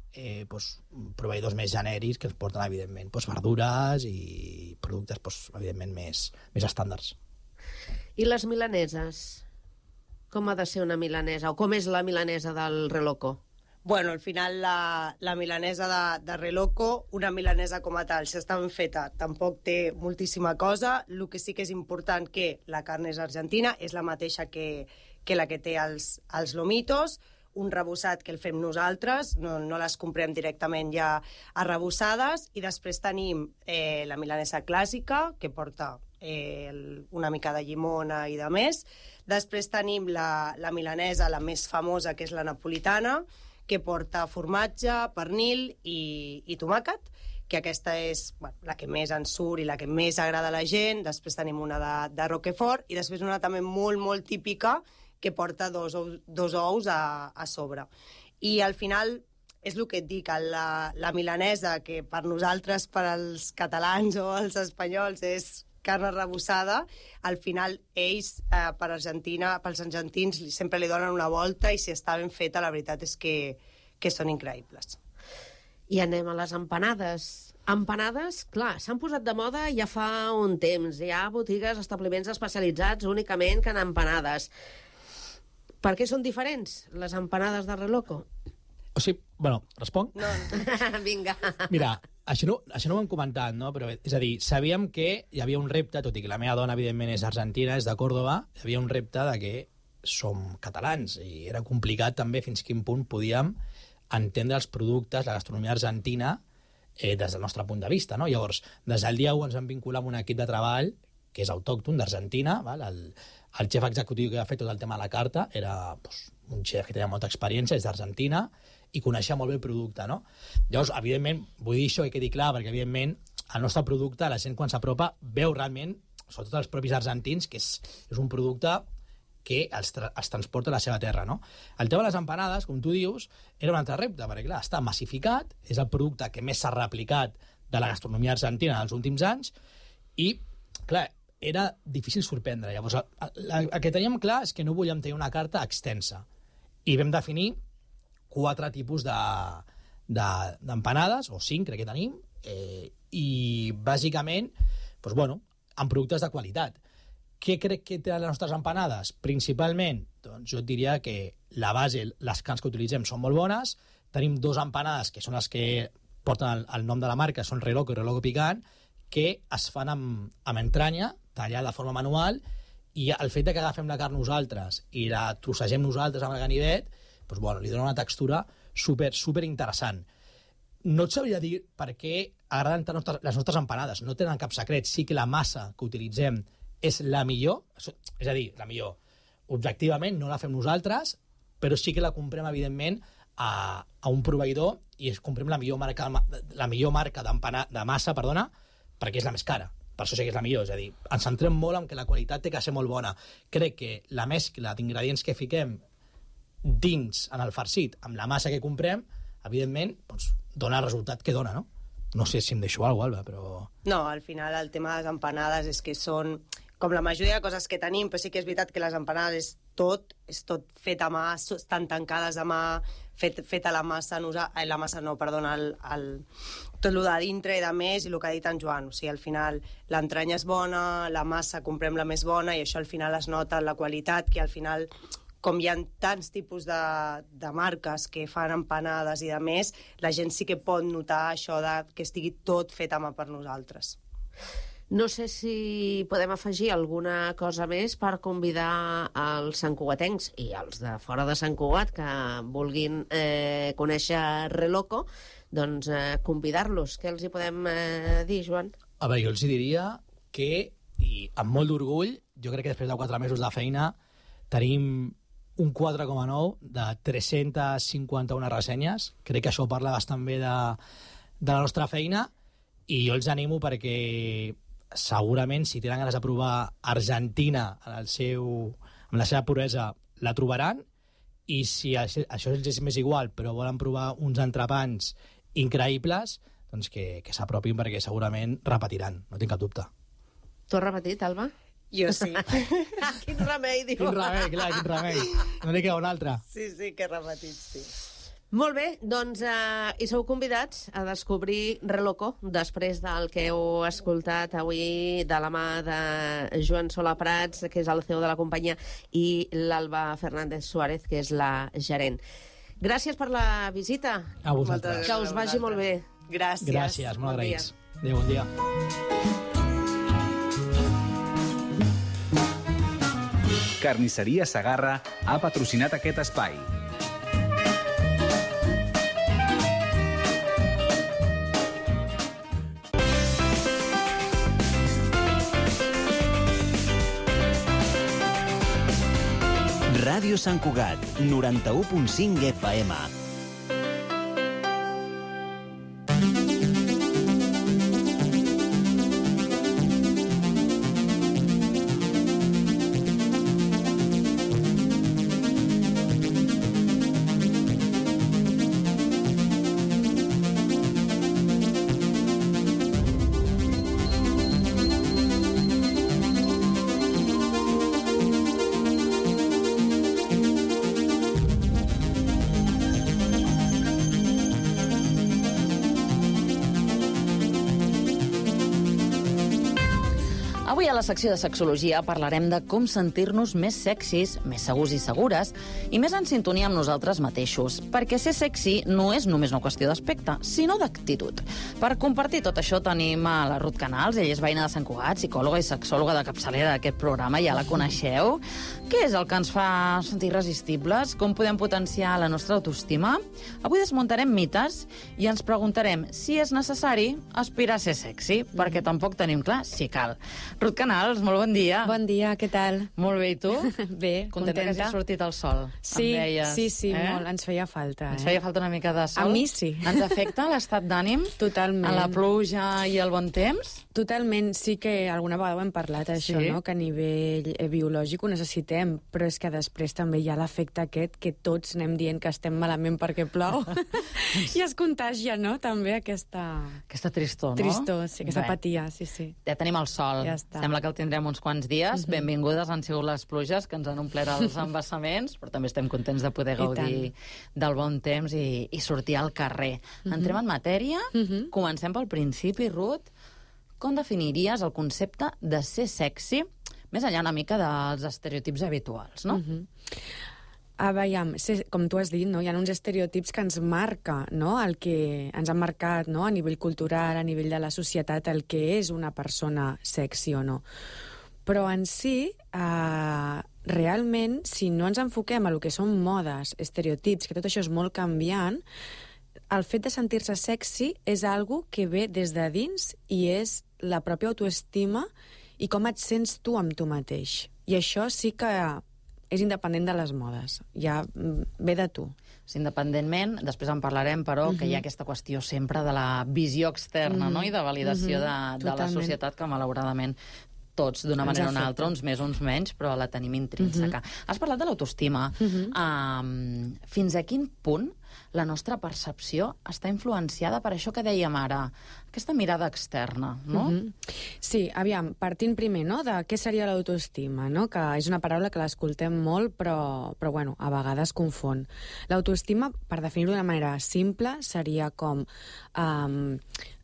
proveïdors més genèrics que ens porten, evidentment, verdures i productes, evidentment, més estàndards. I les milaneses? Com ha de ser una milanesa? O com és la milanesa del Reloco? Bueno, al final la milanesa de Reloco, una milanesa com a tal, si està ben feta, tampoc té moltíssima cosa. El que sí que és important que la carn és argentina, és la mateixa que la que té els lomitos, un rebossat que el fem nosaltres, no les comprem directament ja arrebossades, i després tenim la milanesa clàssica, que porta una mica de llimona i de més. Després tenim la milanesa, la més famosa, que és la napolitana, que porta formatge, pernil i tomàquet, que aquesta és la que més ens surt i la que més agrada a la gent. Després tenim una de Roquefort i després una també molt, molt típica que porta dos ous a sobre. I al final és el que et dic, la milanesa, que per nosaltres, per als catalans o els espanyols, és carn arrebossada, al final ells, pels argentins, sempre li donen una volta, i si està ben feta, la veritat és que són increïbles. I anem a les empanades. Empanades, clar, s'han posat de moda ja fa un temps. Hi ha botigues, establiments especialitzats únicament que en empanades. Per què són diferents, les empanades de Reloco? O sigui, bueno, responc? No. Vinga. Mira, això no ho hem comentat, no? Però, és a dir, sabíem que hi havia un repte, tot i que la meva dona, evidentment, és argentina, és de Còrdova, hi havia un repte de que som catalans, i era complicat també fins a quin punt podíem entendre els productes, la gastronomia argentina, des del nostre punt de vista, no? Llavors, des del dia 1 ens vam vincular amb un equip de treball que és autòcton d'Argentina, el xef executiu que ha fet tot el tema de la carta era un xef que tenia molta experiència, és d'Argentina, i coneixia molt bé el producte, no? Llavors, evidentment, vull dir això, que quedi clar, perquè, evidentment, el nostre producte, la gent quan s'apropa, veu realment, sobretot els propis argentins, que és un producte que els transporta a la seva terra, no? El tema de les empanades, com tu dius, era un altre repte, perquè, clar, està massificat, és el producte que més s'ha replicat de la gastronomia argentina en els últims anys, i, clar, era difícil sorprendre. Llavors, el que teníem clar és que no volíem tenir una carta extensa, i vam definir 4 tipus d'empanades, o 5 crec que tenim, i bàsicament, amb productes de qualitat. Què crec que tenen les nostres empanades? Principalment, doncs jo et diria que la base, les carns que utilitzem són molt bones, tenim 2 empanades que són les que porten el nom de la marca, són Reloco i Reloco Picant, que es fan amb entranya, tallada de forma manual, i el fet que agafem la carn nosaltres i la trossegem nosaltres amb el ganivet, li dona una textura super interessant. No et sabria dir per què agraden tant les nostres empanades. No tenen cap secret. Sí que la massa que utilitzem és la millor, és a dir, la millor. Objectivament no la fem nosaltres, però sí que la comprem, evidentment, a un proveïdor, i comprem la millor marca de massa, perquè és la més cara. Per això sí que és la millor. És a dir, ens centrem molt en que la qualitat té que ser molt bona. Crec que la mescla d'ingredients que fiquem dins en el farcit amb la massa que comprem, evidentment, dona el resultat que dona, no? No sé si em deixo alguna cosa, Alba, però... No, al final el tema de les empanades és que són com la majoria de coses que tenim, però sí que és veritat que les empanades és tot fet a mà, estan tancades a mà, feta la massa, tot el de dintre i de més, i el que ha dit en Joan. O sigui, al final l'entranya és bona, la massa comprem la més bona, i això al final es nota en la qualitat, que al final, com hi ha tants tipus de marques que fan empanades i de més, la gent sí que pot notar això que estigui tot fet a mà per nosaltres. No sé si podem afegir alguna cosa més per convidar els santcugatencs i els de fora de Sant Cugat que vulguin conèixer Reloco, doncs convidar-los. Què els hi podem dir, Joan? A veure, jo els diria que i amb molt d'orgull, jo crec que després de 4 mesos de feina tenim un 4,9 de 351 ressenyes. Crec que això parla bastant bé de la nostra feina i jo els animo perquè segurament si tenen ganes de provar Argentina amb la seva puresa la trobaran, i si això els és més igual però volen provar uns entrepans increïbles, doncs que s'apropin perquè segurament repetiran, no tinc cap dubte. Tu has repetit, Alba? Jo sí. Quin remei, diu. Quin remei, clar, quin remei. No n'hi queda un altre. Sí, que he repetit, sí. Molt bé, doncs hi sou convidats a descobrir Reloco després del que heu escoltat avui de la mà de Joan Sola Prats, que és el CEO de la companyia, i l'Alba Fernández Suárez, que és la gerent. Gràcies per la visita. A vosaltres. Que us vagi molt bé. Gràcies. Gràcies, molt agraïts. Adéu, bon dia. Carnisseria Segarra ha patrocinat aquest espai. Ràdio Sant Cugat, 91.5 FM. Avui a la secció de sexologia parlarem de com sentir-nos més sexis, més segurs i segures, i més en sintonia amb nosaltres mateixos. Perquè ser sexy no és només una qüestió d'aspecte, sinó d'actitud. Per compartir tot això tenim a la Ruth Canals, ella és veïna de Sant Cugat, psicòloga i sexòloga de capçalera d'aquest programa, ja la coneixeu. Què és el que ens fa sentir irresistibles? Com podem potenciar la nostra autoestima? Avui desmuntarem mites i ens preguntarem si és necessari aspirar a ser sexy, perquè tampoc tenim clar si cal. Ruth Canals, molt bon dia. Bon dia, què tal? Molt bé, i tu? Bé, contenta. Que hagi sortit el sol, sí, em deies. Sí, molt, ens feia falta. Ens feia falta una mica de sol. A mi sí. Ens afecta l'estat d'ànim? Totalment. A la pluja i el bon temps? Totalment, sí que alguna vegada ho hem parlat, això, sí? no? Que a nivell biològic ho necessitem, però és que després també hi ha l'efecte aquest que tots anem dient que estem malament perquè plou i es contagia, no? També aquesta tristor, no? Tristor, sí, aquesta apatia, sí. Ja tenim el sol. Ja està. Sembla que el tindrem uns quants dies. Benvingudes han sigut les pluges que ens han omplert els embassaments, però també estem contents de poder gaudir del bon temps i sortir al carrer. Entrem en matèria. Comencem pel principi, Ruth. Com definiries el concepte de ser sexy, més enllà una mica dels estereotips habituals, no? Veiem, com tu has dit, no? Hi ha uns estereotips que ens marca, no? El que ens han marcat, no? A nivell cultural, a nivell de la societat, el que és una persona sexy o no. Però en si, realment, si no ens enfoquem a lo que són modes, estereotips, que tot això és molt canviant, el fet de sentir-se sexy és algo que ve des de dins i és la pròpia autoestima i com et sents tu amb tu mateix. I això sí que és independent de les modes, ja ve de tu. Independentment, després en parlarem, però, que hi ha aquesta qüestió sempre de la visió externa, no? I de validació de la societat, que malauradament tots, d'una manera o una altra, uns més, uns menys, però la tenim intrínseca. Has parlat de l'autoestima. Fins a quin punt la nostra percepció està influenciada per això que dèiem ara, aquesta mirada externa, no? Sí, aviam, partint primer, no?, de què seria l'autoestima, no?, que és una paraula que l'escoltem molt, però bueno, a vegades confon. L'autoestima, per definir-ho d'una manera simple, seria com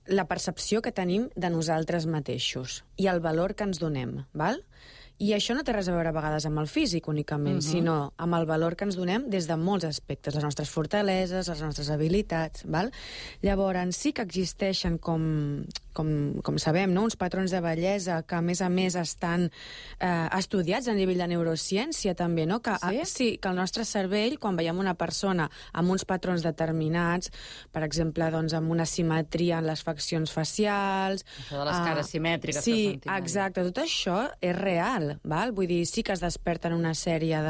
la percepció que tenim de nosaltres mateixos i el valor que ens donem, val? I això no té res a veure a vegades amb el físic únicament, sinó amb el valor que ens donem des de molts aspectes, les nostres fortaleses, les nostres habilitats, val? Llavors, sí que existeixen com com sabem, no? Uns patrons de bellesa que, a més, estan estudiats a nivell de neurociència, també, no? Que, sí, que el nostre cervell, quan veiem una persona amb uns patrons determinats, per exemple, doncs, amb una simetria en les faccions facials... Això de les cares simètriques que sí, sentim. Exacte, tot això és real, val? Vull dir, sí que es desperten una sèrie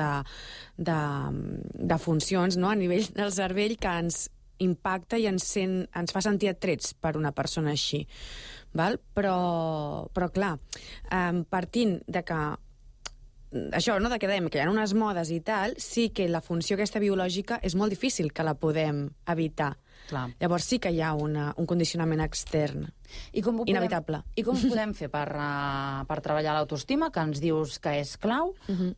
de funcions, no?, a nivell del cervell que ens impacta i ens fa sentir atrets per una persona així. Val? Però clar, partint de que això, no?, de que dèiem que hi ha unes modes i tal, sí que la funció aquesta biològica és molt difícil que la podem evitar. Clar. Llavors sí que hi ha un condicionament extern. Inevitable. I com ho podem fer per treballar l'autoestima, que ens dius que és clau?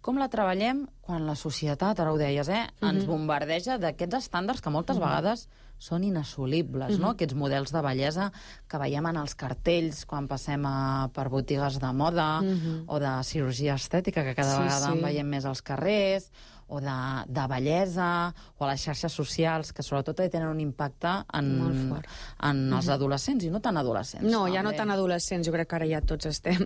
Com la treballem quan la societat, ara ho deies, ens bombardeja d'aquests estàndards que moltes vegades són inassolibles, no? Aquests models de bellesa que veiem en els cartells quan passem per botigues de moda o de cirurgia estètica, que cada vegada en veiem més als carrers, o de bellesa, o a les xarxes socials, que sobretot tenen un impacte en els adolescents, i no tan adolescents. No, ja no tan adolescents, jo crec que ara ja tots estem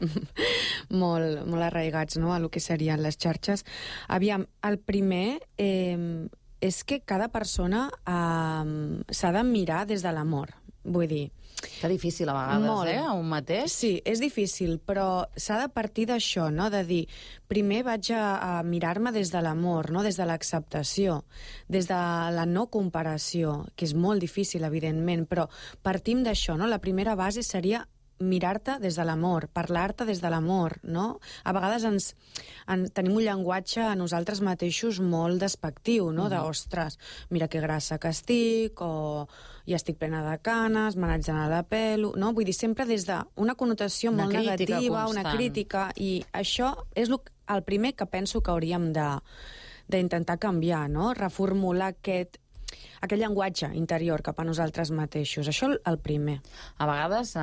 molt arraigats, no?, a lo que serien les xarxes. Aviam, el primer és que cada persona s'ha de mirar des de l'amor, vull dir... Que difícil a vegades, a un mateix. Sí, és difícil, però s'ha de partir d'això, no?, de dir, primer vaig a mirar-me des de l'amor, no?, des de l'acceptació, des de la no comparació, que és molt difícil, evidentment, però partim d'això, no?, la primera base seria mirar-te des de l'amor, parlar-te des de l'amor, no? A vegades tenim un llenguatge a nosaltres mateixos molt despectiu, no? Ostres, mira que grassa que estic, o ja estic plena de canes, me n'haig d'anar a la pelo, no? Vull dir, sempre des d'una connotació molt negativa, una crítica, i això és el primer que penso que hauríem d'intentar canviar, no? Reformular aquest llenguatge interior cap a nosaltres mateixos. Això el primer. A vegades,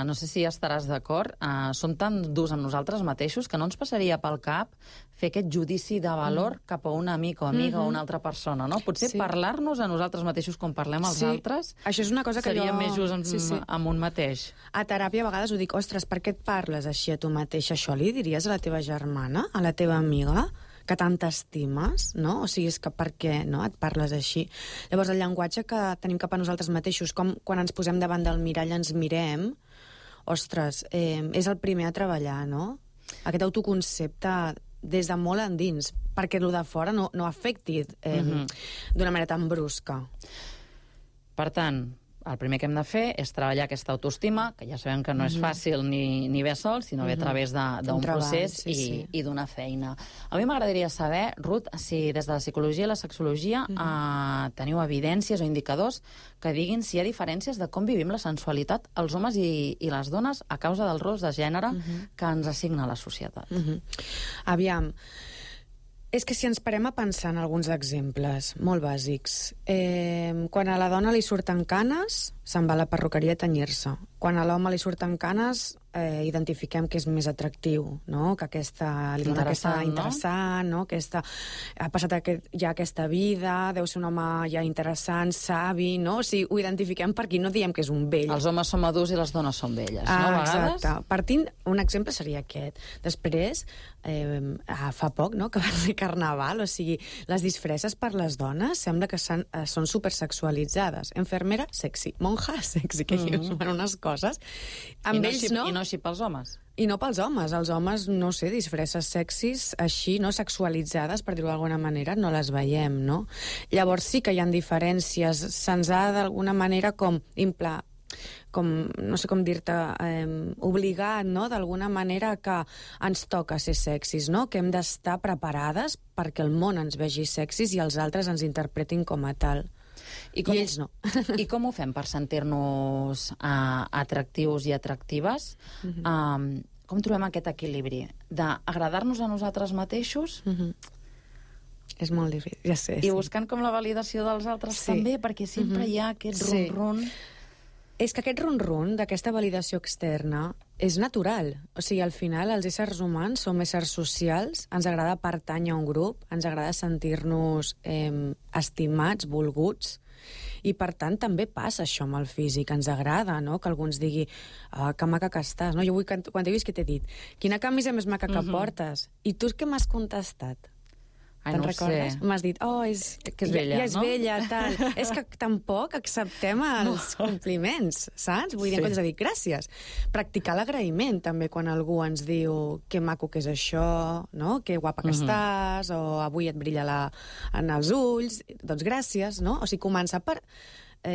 no sé si estaràs d'acord, som tan durs amb nosaltres mateixos que no ens passaria pel cap fer aquest judici de valor cap a un amic o amiga o una altra persona, no? Potser parlar-nos a nosaltres mateixos com parlem als altres això és una cosa que seria més just amb un mateix. A teràpia a vegades ho dic, ostres, per què et parles així a tu mateix? Això li diries a la teva germana, a la teva amiga? Que tant t'estimes, no? O sigui, és que per què no et parles així? Llavors, el llenguatge que tenim cap a nosaltres mateixos, com quan ens posem davant del mirall ens mirem, ostres, és el primer a treballar, no? Aquest autoconcepte des de molt endins, perquè el de fora no afecti d'una manera tan brusca. Per tant, el primer que hem de fer és treballar aquesta autoestima, que ja sabem que no és fàcil ni bé sol, sinó bé a través d'un procés i d'una feina. A mi m'agradaria saber, Ruth, si des de la psicologia i la sexologia teniu evidències o indicadors que diguin si hi ha diferències de com vivim la sensualitat els homes i les dones a causa dels rols de gènere que ens assigna la societat. Aviam, és que si ens parem a pensar en alguns exemples molt bàsics, quan a la dona li surten canes, se'n va a la perruqueria a tenyir-se. Quan a l'home li surten canes, identifiquem que és més atractiu, no? Que li dona aquesta interessant, no? Ha passat ja aquesta vida, deu ser un home ja interessant, savi, no? O sigui, ho identifiquem per aquí, no diem que és un vell. Els homes són madurs i les dones són velles, no? A vegades? Exacte. Partint, un exemple seria aquest. Després, fa poc, no?, que va ser Carnaval, o sigui, les disfresses per les dones sembla que són supersexualitzades. Enfermera, sexy. Monja, sexy, que dius, unes coses. Amb ells, no? I no així pels homes. I no pels homes. Els homes, no sé, disfresses sexis així, no sexualitzades, per dir-ho d'alguna manera, no les veiem, no? Llavors sí que hi ha diferències. Se'ns ha d'alguna manera com no sé com dir-te, obligat, no?, d'alguna manera que ens toca ser sexis, no?, que hem d'estar preparades perquè el món ens vegi sexis i els altres ens interpretin com a tal. I ells no. I com ho fem per sentir-nos atractius i atractives? Com trobem aquest equilibri d'agradar-nos a nosaltres mateixos? És molt difícil, ja sé. I buscant com la validació dels altres també, perquè sempre hi ha aquest rum-rum. És que aquest rum-rum d'aquesta validació externa és natural. O sigui, al final, els éssers humans som éssers socials, ens agrada pertànyer a un grup, ens agrada sentir-nos estimats, volguts, I, per tant, també passa això amb el físic. Ens agrada, no?, que algú ens digui que maca que estàs, no? Jo vull quan t'he vist, què t'he dit? Quina camisa més maca que portes? I tu què m'has contestat? Ai, no ho sé. M'has dit, que és vella, ja és no? vella, tal. És que tampoc acceptem els compliments, saps? Vull dir, en comptes de dir gràcies. Practicar l'agraïment, també, quan algú ens diu que maco que és això, no? Que guapa que estàs, o avui et brilla en els ulls. Doncs gràcies, no? O sigui, començar per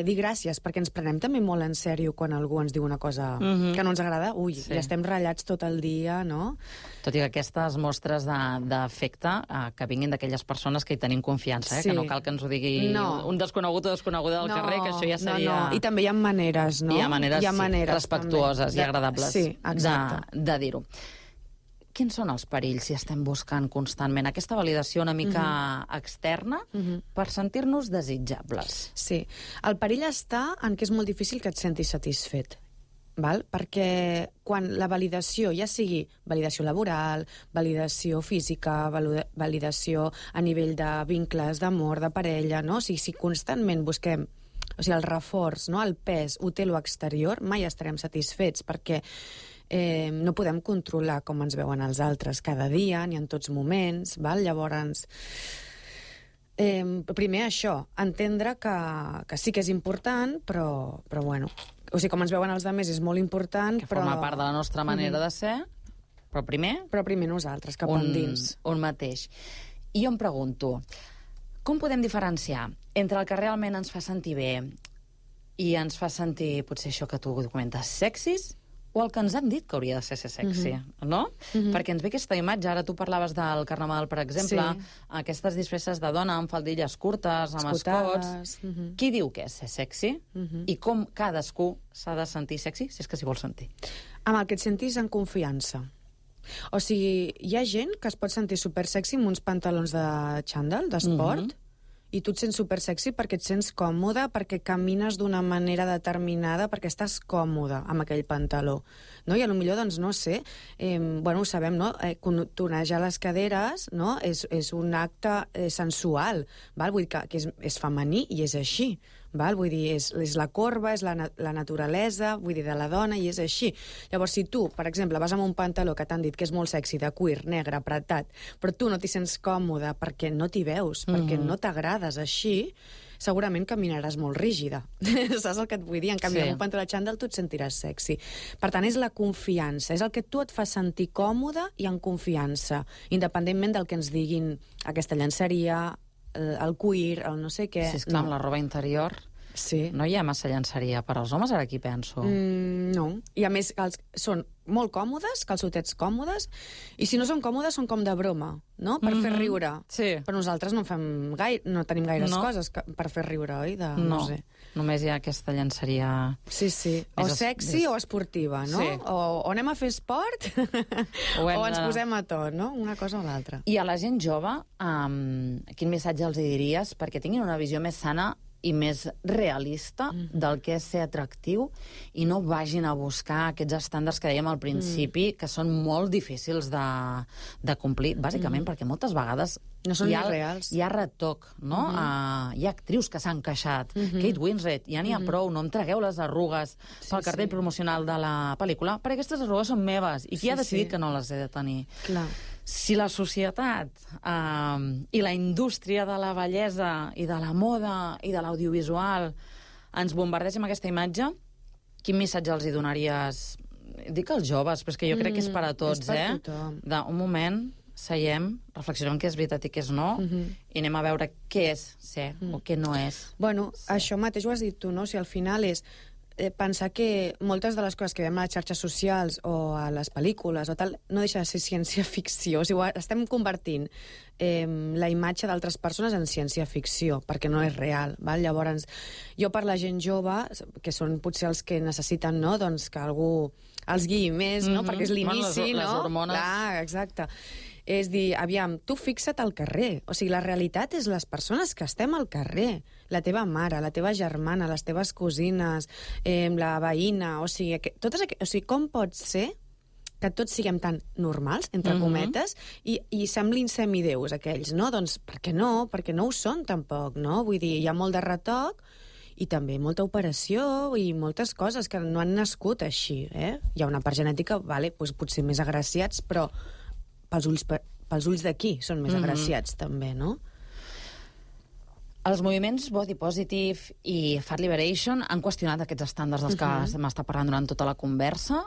dir gràcies, perquè ens prenem també molt en sèrio quan algú ens diu una cosa que no ens agrada. Ui, ja estem ratllats tot el dia, no? Tot i que aquestes mostres d'afecte que vinguin d'aquelles persones que hi tenim confiança, que no cal que ens ho digui un desconegut o desconeguda del carrer, que això ja seria... No. I també hi ha maneres, no? Hi ha maneres respectuoses i agradables de dir-ho. Quins són els perills si estem buscant constantment aquesta validació una mica externa per sentir-nos desitjables? Sí. El perill està en que és molt difícil que et sentis satisfet. Val? Perquè quan la validació, ja sigui validació laboral, validació física, validació a nivell de vincles, d'amor, de parella, no? O sigui, si constantment busquem el reforç, no? El pes, ho té l'exterior, mai estarem satisfets, perquè no podem controlar com ens veuen els altres cada dia, ni en tots moments, val? Llavors, primer això, entendre que sí que és important, però bueno, o sigui, com ens veuen els altres és molt important, que forma part de la nostra manera de ser, però primer nosaltres, cap endins. Un mateix. I jo em pregunto, com podem diferenciar entre el que realment ens fa sentir bé i ens fa sentir, potser això que tu comentes, sexis, o el que ens han dit que hauria de ser sexy, no? Perquè ens ve aquesta imatge, ara tu parlaves del carnaval, per exemple, aquestes disfresses de dona amb faldilles curtes, amb escots... Qui diu que és ser sexy? I com cadascú s'ha de sentir sexy, si és que s'hi vol sentir? Amb el que et sentis en confiança. O sigui, hi ha gent que es pot sentir supersexy amb uns pantalons de xandall, d'esport, i tu et sents supersexy perquè et sents còmode, perquè camines d'una manera determinada, perquè estàs còmode amb aquell pantaló. No? I potser, doncs, no sé, ho sabem, no? Tonejar les caderes, no? És un acte sensual, val? Vull dir que és femení i és així. Val? Vull dir, és la corba, és la naturalesa, vull dir, de la dona, i és així. Llavors, si tu, per exemple, vas amb un pantaló que t'han dit que és molt sexy, de cuir, negre, apretat, però tu no t'hi sents còmode perquè no t'hi veus, perquè no t'agrades així, segurament caminaràs molt rígida. Saps el que et vull dir? En canvi, amb un pantaló de xandall tu et sentiràs sexy. Per tant, és la confiança, és el que tu et fa sentir còmode i en confiança, independentment del que ens diguin aquesta llenceria, el cuir, el no sé què... Sí, esclar, amb la roba interior no hi ha massa llenceria per als homes, ara aquí penso. No, i a més són molt còmodes, calçotets còmodes, i si no són còmodes són com de broma, no? Per fer riure. Però nosaltres no tenim gaires coses per fer riure, oi? No sé. Només hi ha aquesta llenceria... Sí. O sexy o esportiva, no? O anem a fer esport o ens posem a tot, no? Una cosa o l'altra. I a la gent jove, quin missatge els diries perquè tinguin una visió més sana i més realista del que és ser atractiu i no vagin a buscar aquests estàndards que dèiem al principi, que són molt difícils de complir, bàsicament perquè moltes vegades no són reals. Hi ha retoc, no? Hi ha actrius que s'han queixat. Kate Winslet, ja n'hi ha prou, no em tragueu les arrugues pel cartell promocional de la pel·lícula, perquè aquestes arrugues són meves. I qui ha decidit que no les he de tenir? Clar. Si la societat i la indústria de la bellesa i de la moda i de l'audiovisual ens bombardeja amb aquesta imatge, quin missatge els hi donaries? Dic als joves, però és que jo crec que és per a tots, és per tothom. Un moment, seiem, reflexionem què és veritat i què és no, i anem a veure què és ser o què no és. Bueno, això mateix ho has dit tu, no? Si al final és pensar que moltes de les coses que veiem a les xarxes socials o a les pel·lícules o tal, no deixa de ser ciència-ficció. O sigui, estem convertint la imatge d'altres persones en ciència-ficció, perquè no és real. Val? Llavors, jo per la gent jove, que són potser els que necessiten, no?, doncs que algú els guiï més, no?, perquè és l'inici, no? Les hormones. Clar, exacte. És dir, aviam, tu fixa't al carrer. O sigui, la realitat és les persones que estem al carrer. La teva mare, la teva germana, les teves cosines, la veïna... O sigui, com pot ser que tots siguem tan normals, entre cometes, i semblin semideus aquells, no? Doncs per què no? Perquè no ho són, tampoc, no? Vull dir, hi ha molt de retoc i també molta operació i moltes coses que no han nascut així. Hi ha una part genètica, vale, doncs potser més agraciats, però pels ulls d'aquí són més agraciats també, no? Els moviments Body Positive i Fat Liberation han qüestionat aquests estàndards dels que m'està parlant durant tota la conversa.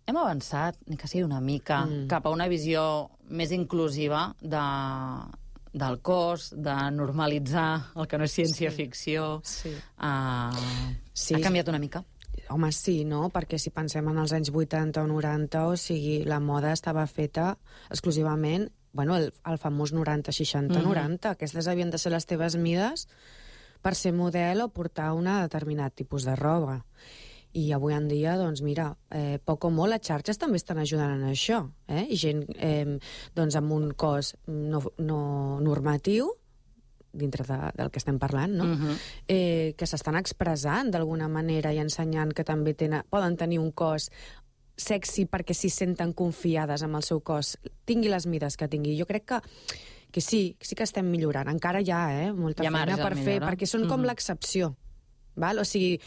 Hem avançat, ni que sigui una mica, cap a una visió més inclusiva del cos, de normalitzar el que no és ciència-ficció. Ha canviat una mica. Home, sí, no? Perquè si pensem en els anys 80 o 90, o sigui, la moda estava feta exclusivament, bueno, el famós 90-60-90. Aquestes havien de ser les teves mides per ser model o portar un determinat tipus de roba. I avui en dia, doncs mira, poc o molt, les xarxes també estan ajudant en això. I gent doncs, amb un cos no normatiu, dintre del que estem parlant, no? Que s'estan expressant d'alguna manera i ensenyant que també poden tenir un cos sexy perquè s'hi senten confiades amb el seu cos, tingui les mides que tingui. Jo crec que sí que estem millorant. Encara hi ha molta feina per fer, perquè són com l'excepció. O sigui,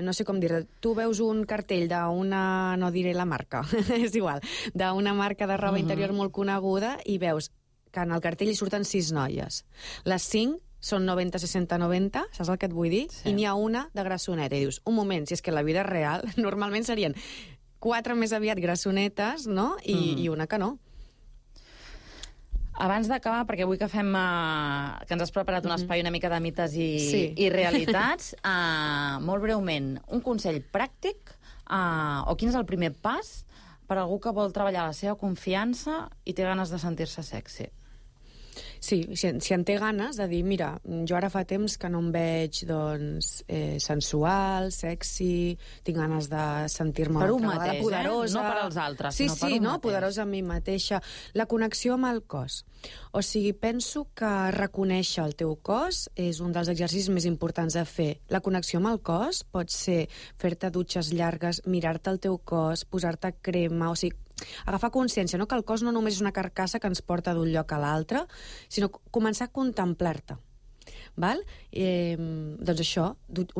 no sé com dir-ho, tu veus un cartell d'una, no diré la marca, és igual, d'una marca de roba interior molt coneguda i veus que en el cartell hi surten 6 noies. Les 5 són 90-60-90, saps el que et vull dir? I n'hi ha una de grassoneta. I dius, un moment, si és que la vida real normalment serien 4 més aviat grassonetes, no? I una que no. Abans d'acabar, perquè vull que fem... que ens has preparat un espai una mica de mites i realitats, molt breument, un consell pràctic o quin és el primer pas per a algú que vol treballar la seva confiança i té ganes de sentir-se sexy? Sí, si en té ganes de dir, mira, jo ara fa temps que no em veig sensual, sexy, tinc ganes de sentir-me per un mateix, poderosa. No per als altres, sinó per un mateix. Poderosa a mi mateixa. La connexió amb el cos. O sigui, penso que reconèixer el teu cos és un dels exercicis més importants a fer. La connexió amb el cos pot ser fer-te dutxes llargues, mirar-te el teu cos, posar-te crema, o sigui, agafar consciència, no? Que el cos no només és una carcassa que ens porta d'un lloc a l'altre, sinó començar a contemplar-te. Doncs això,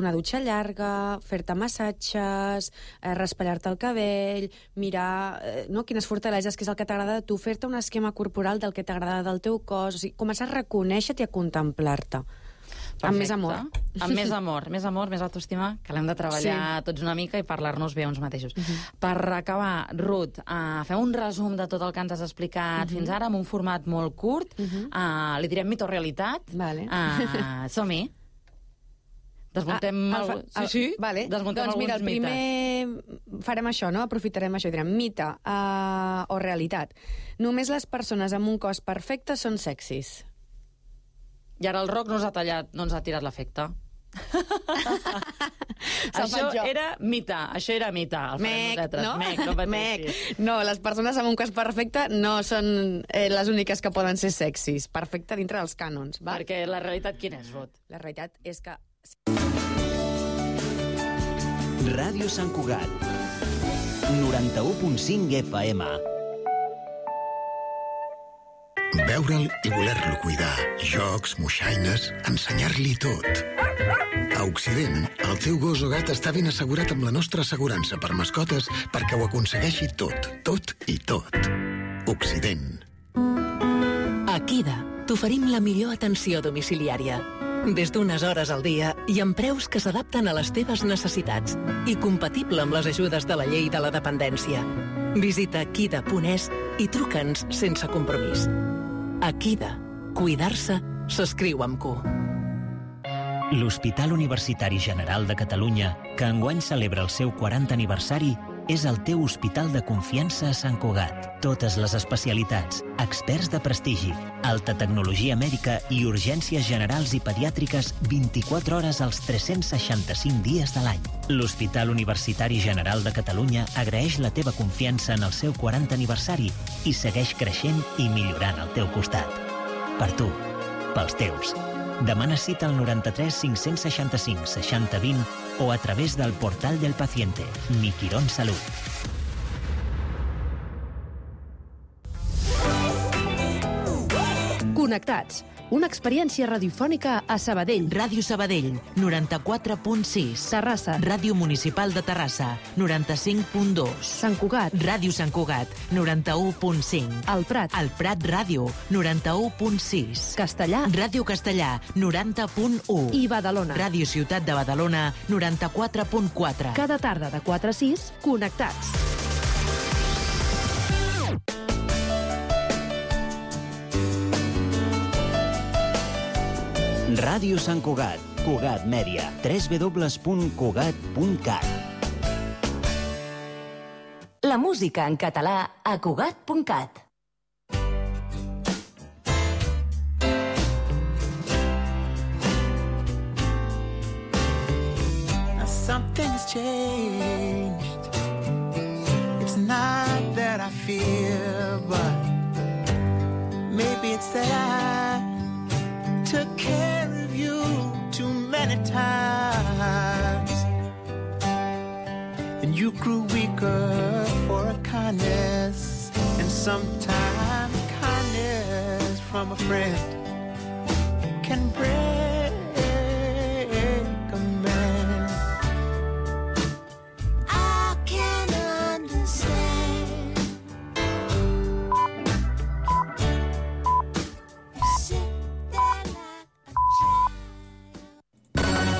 una dutxa llarga, fer-te massatges, raspallar-te el cabell, mirar quines fortaleses, què és el que t'agrada de tu, fer-te un esquema corporal del que t'agrada del teu cos, o sigui, començar a reconèixer-te i a contemplar-te. Perfecte. Amb més amor. Amb més amor, més autoestima, que l'hem de treballar tots una mica i parlar-nos bé uns mateixos. Per acabar, Ruth, fem un resum de tot el que ens has explicat fins ara, amb un format molt curt. Li direm mito o realitat. Som-hi. Desmuntem doncs mira, el primer farem això, no? Aprofitarem això i direm mite o realitat. Només les persones amb un cos perfecte són sexis. I ara el rock no ens ha tirat l'efecte. Això era mite. No, les persones amb un cos perfecte no són les úniques que poden ser sexis. Perfecte dintre dels cànons. Perquè la realitat quina és, Ruth? La realitat és que... Ràdio Sant Cugat 91.5 FM. Veure'l i voler-lo cuidar. Jocs, moixaines, ensenyar-li tot. A Occident, el teu gos o gat està ben assegurat amb la nostra assegurança per mascotes perquè ho aconsegueixi tot, tot i tot. Occident. A Kida t'oferim la millor atenció domiciliària. Des d'unes hores al dia i amb preus que s'adapten a les teves necessitats i compatible amb les ajudes de la llei de la dependència. Visita kida.es i truca'ns sense compromís. A Kida, cuidar-se s'escriu amb Q. L'Hospital Universitari General de Catalunya, que enguany celebra el seu 40 aniversari, és el teu hospital de confiança a Sant Cugat. Totes les especialitats, experts de prestigi, alta tecnologia mèdica i urgències generals i pediàtriques 24 hores als 365 dies de l'any. L'Hospital Universitari General de Catalunya agraeix la teva confiança en el seu 40 aniversari i segueix creixent i millorant al teu costat. Per tu, pels teus. Demana cita al 93 565 60 20 o a través del portal del paciente. Mi Quirón Salud. Connectats, una experiència radiofònica a Sabadell. Ràdio Sabadell, 94.6. Terrassa. Ràdio Municipal de Terrassa, 95.2. Sant Cugat. Ràdio Sant Cugat, 91.5. El Prat. El Prat Ràdio, 91.6. Castellà. Ràdio Castellà, 90.1. I Badalona. Ràdio Ciutat de Badalona, 94.4. Cada tarda de 4 a 6, connectats. Ràdio Sant Cugat, Cugat Mèdia, www.cugat.cat. La música en català a Cugat.cat. Something's changed. It's not that I fear, but maybe it's that I took care of you too many times, and you grew weaker for a kindness, and sometimes kindness from a friend can break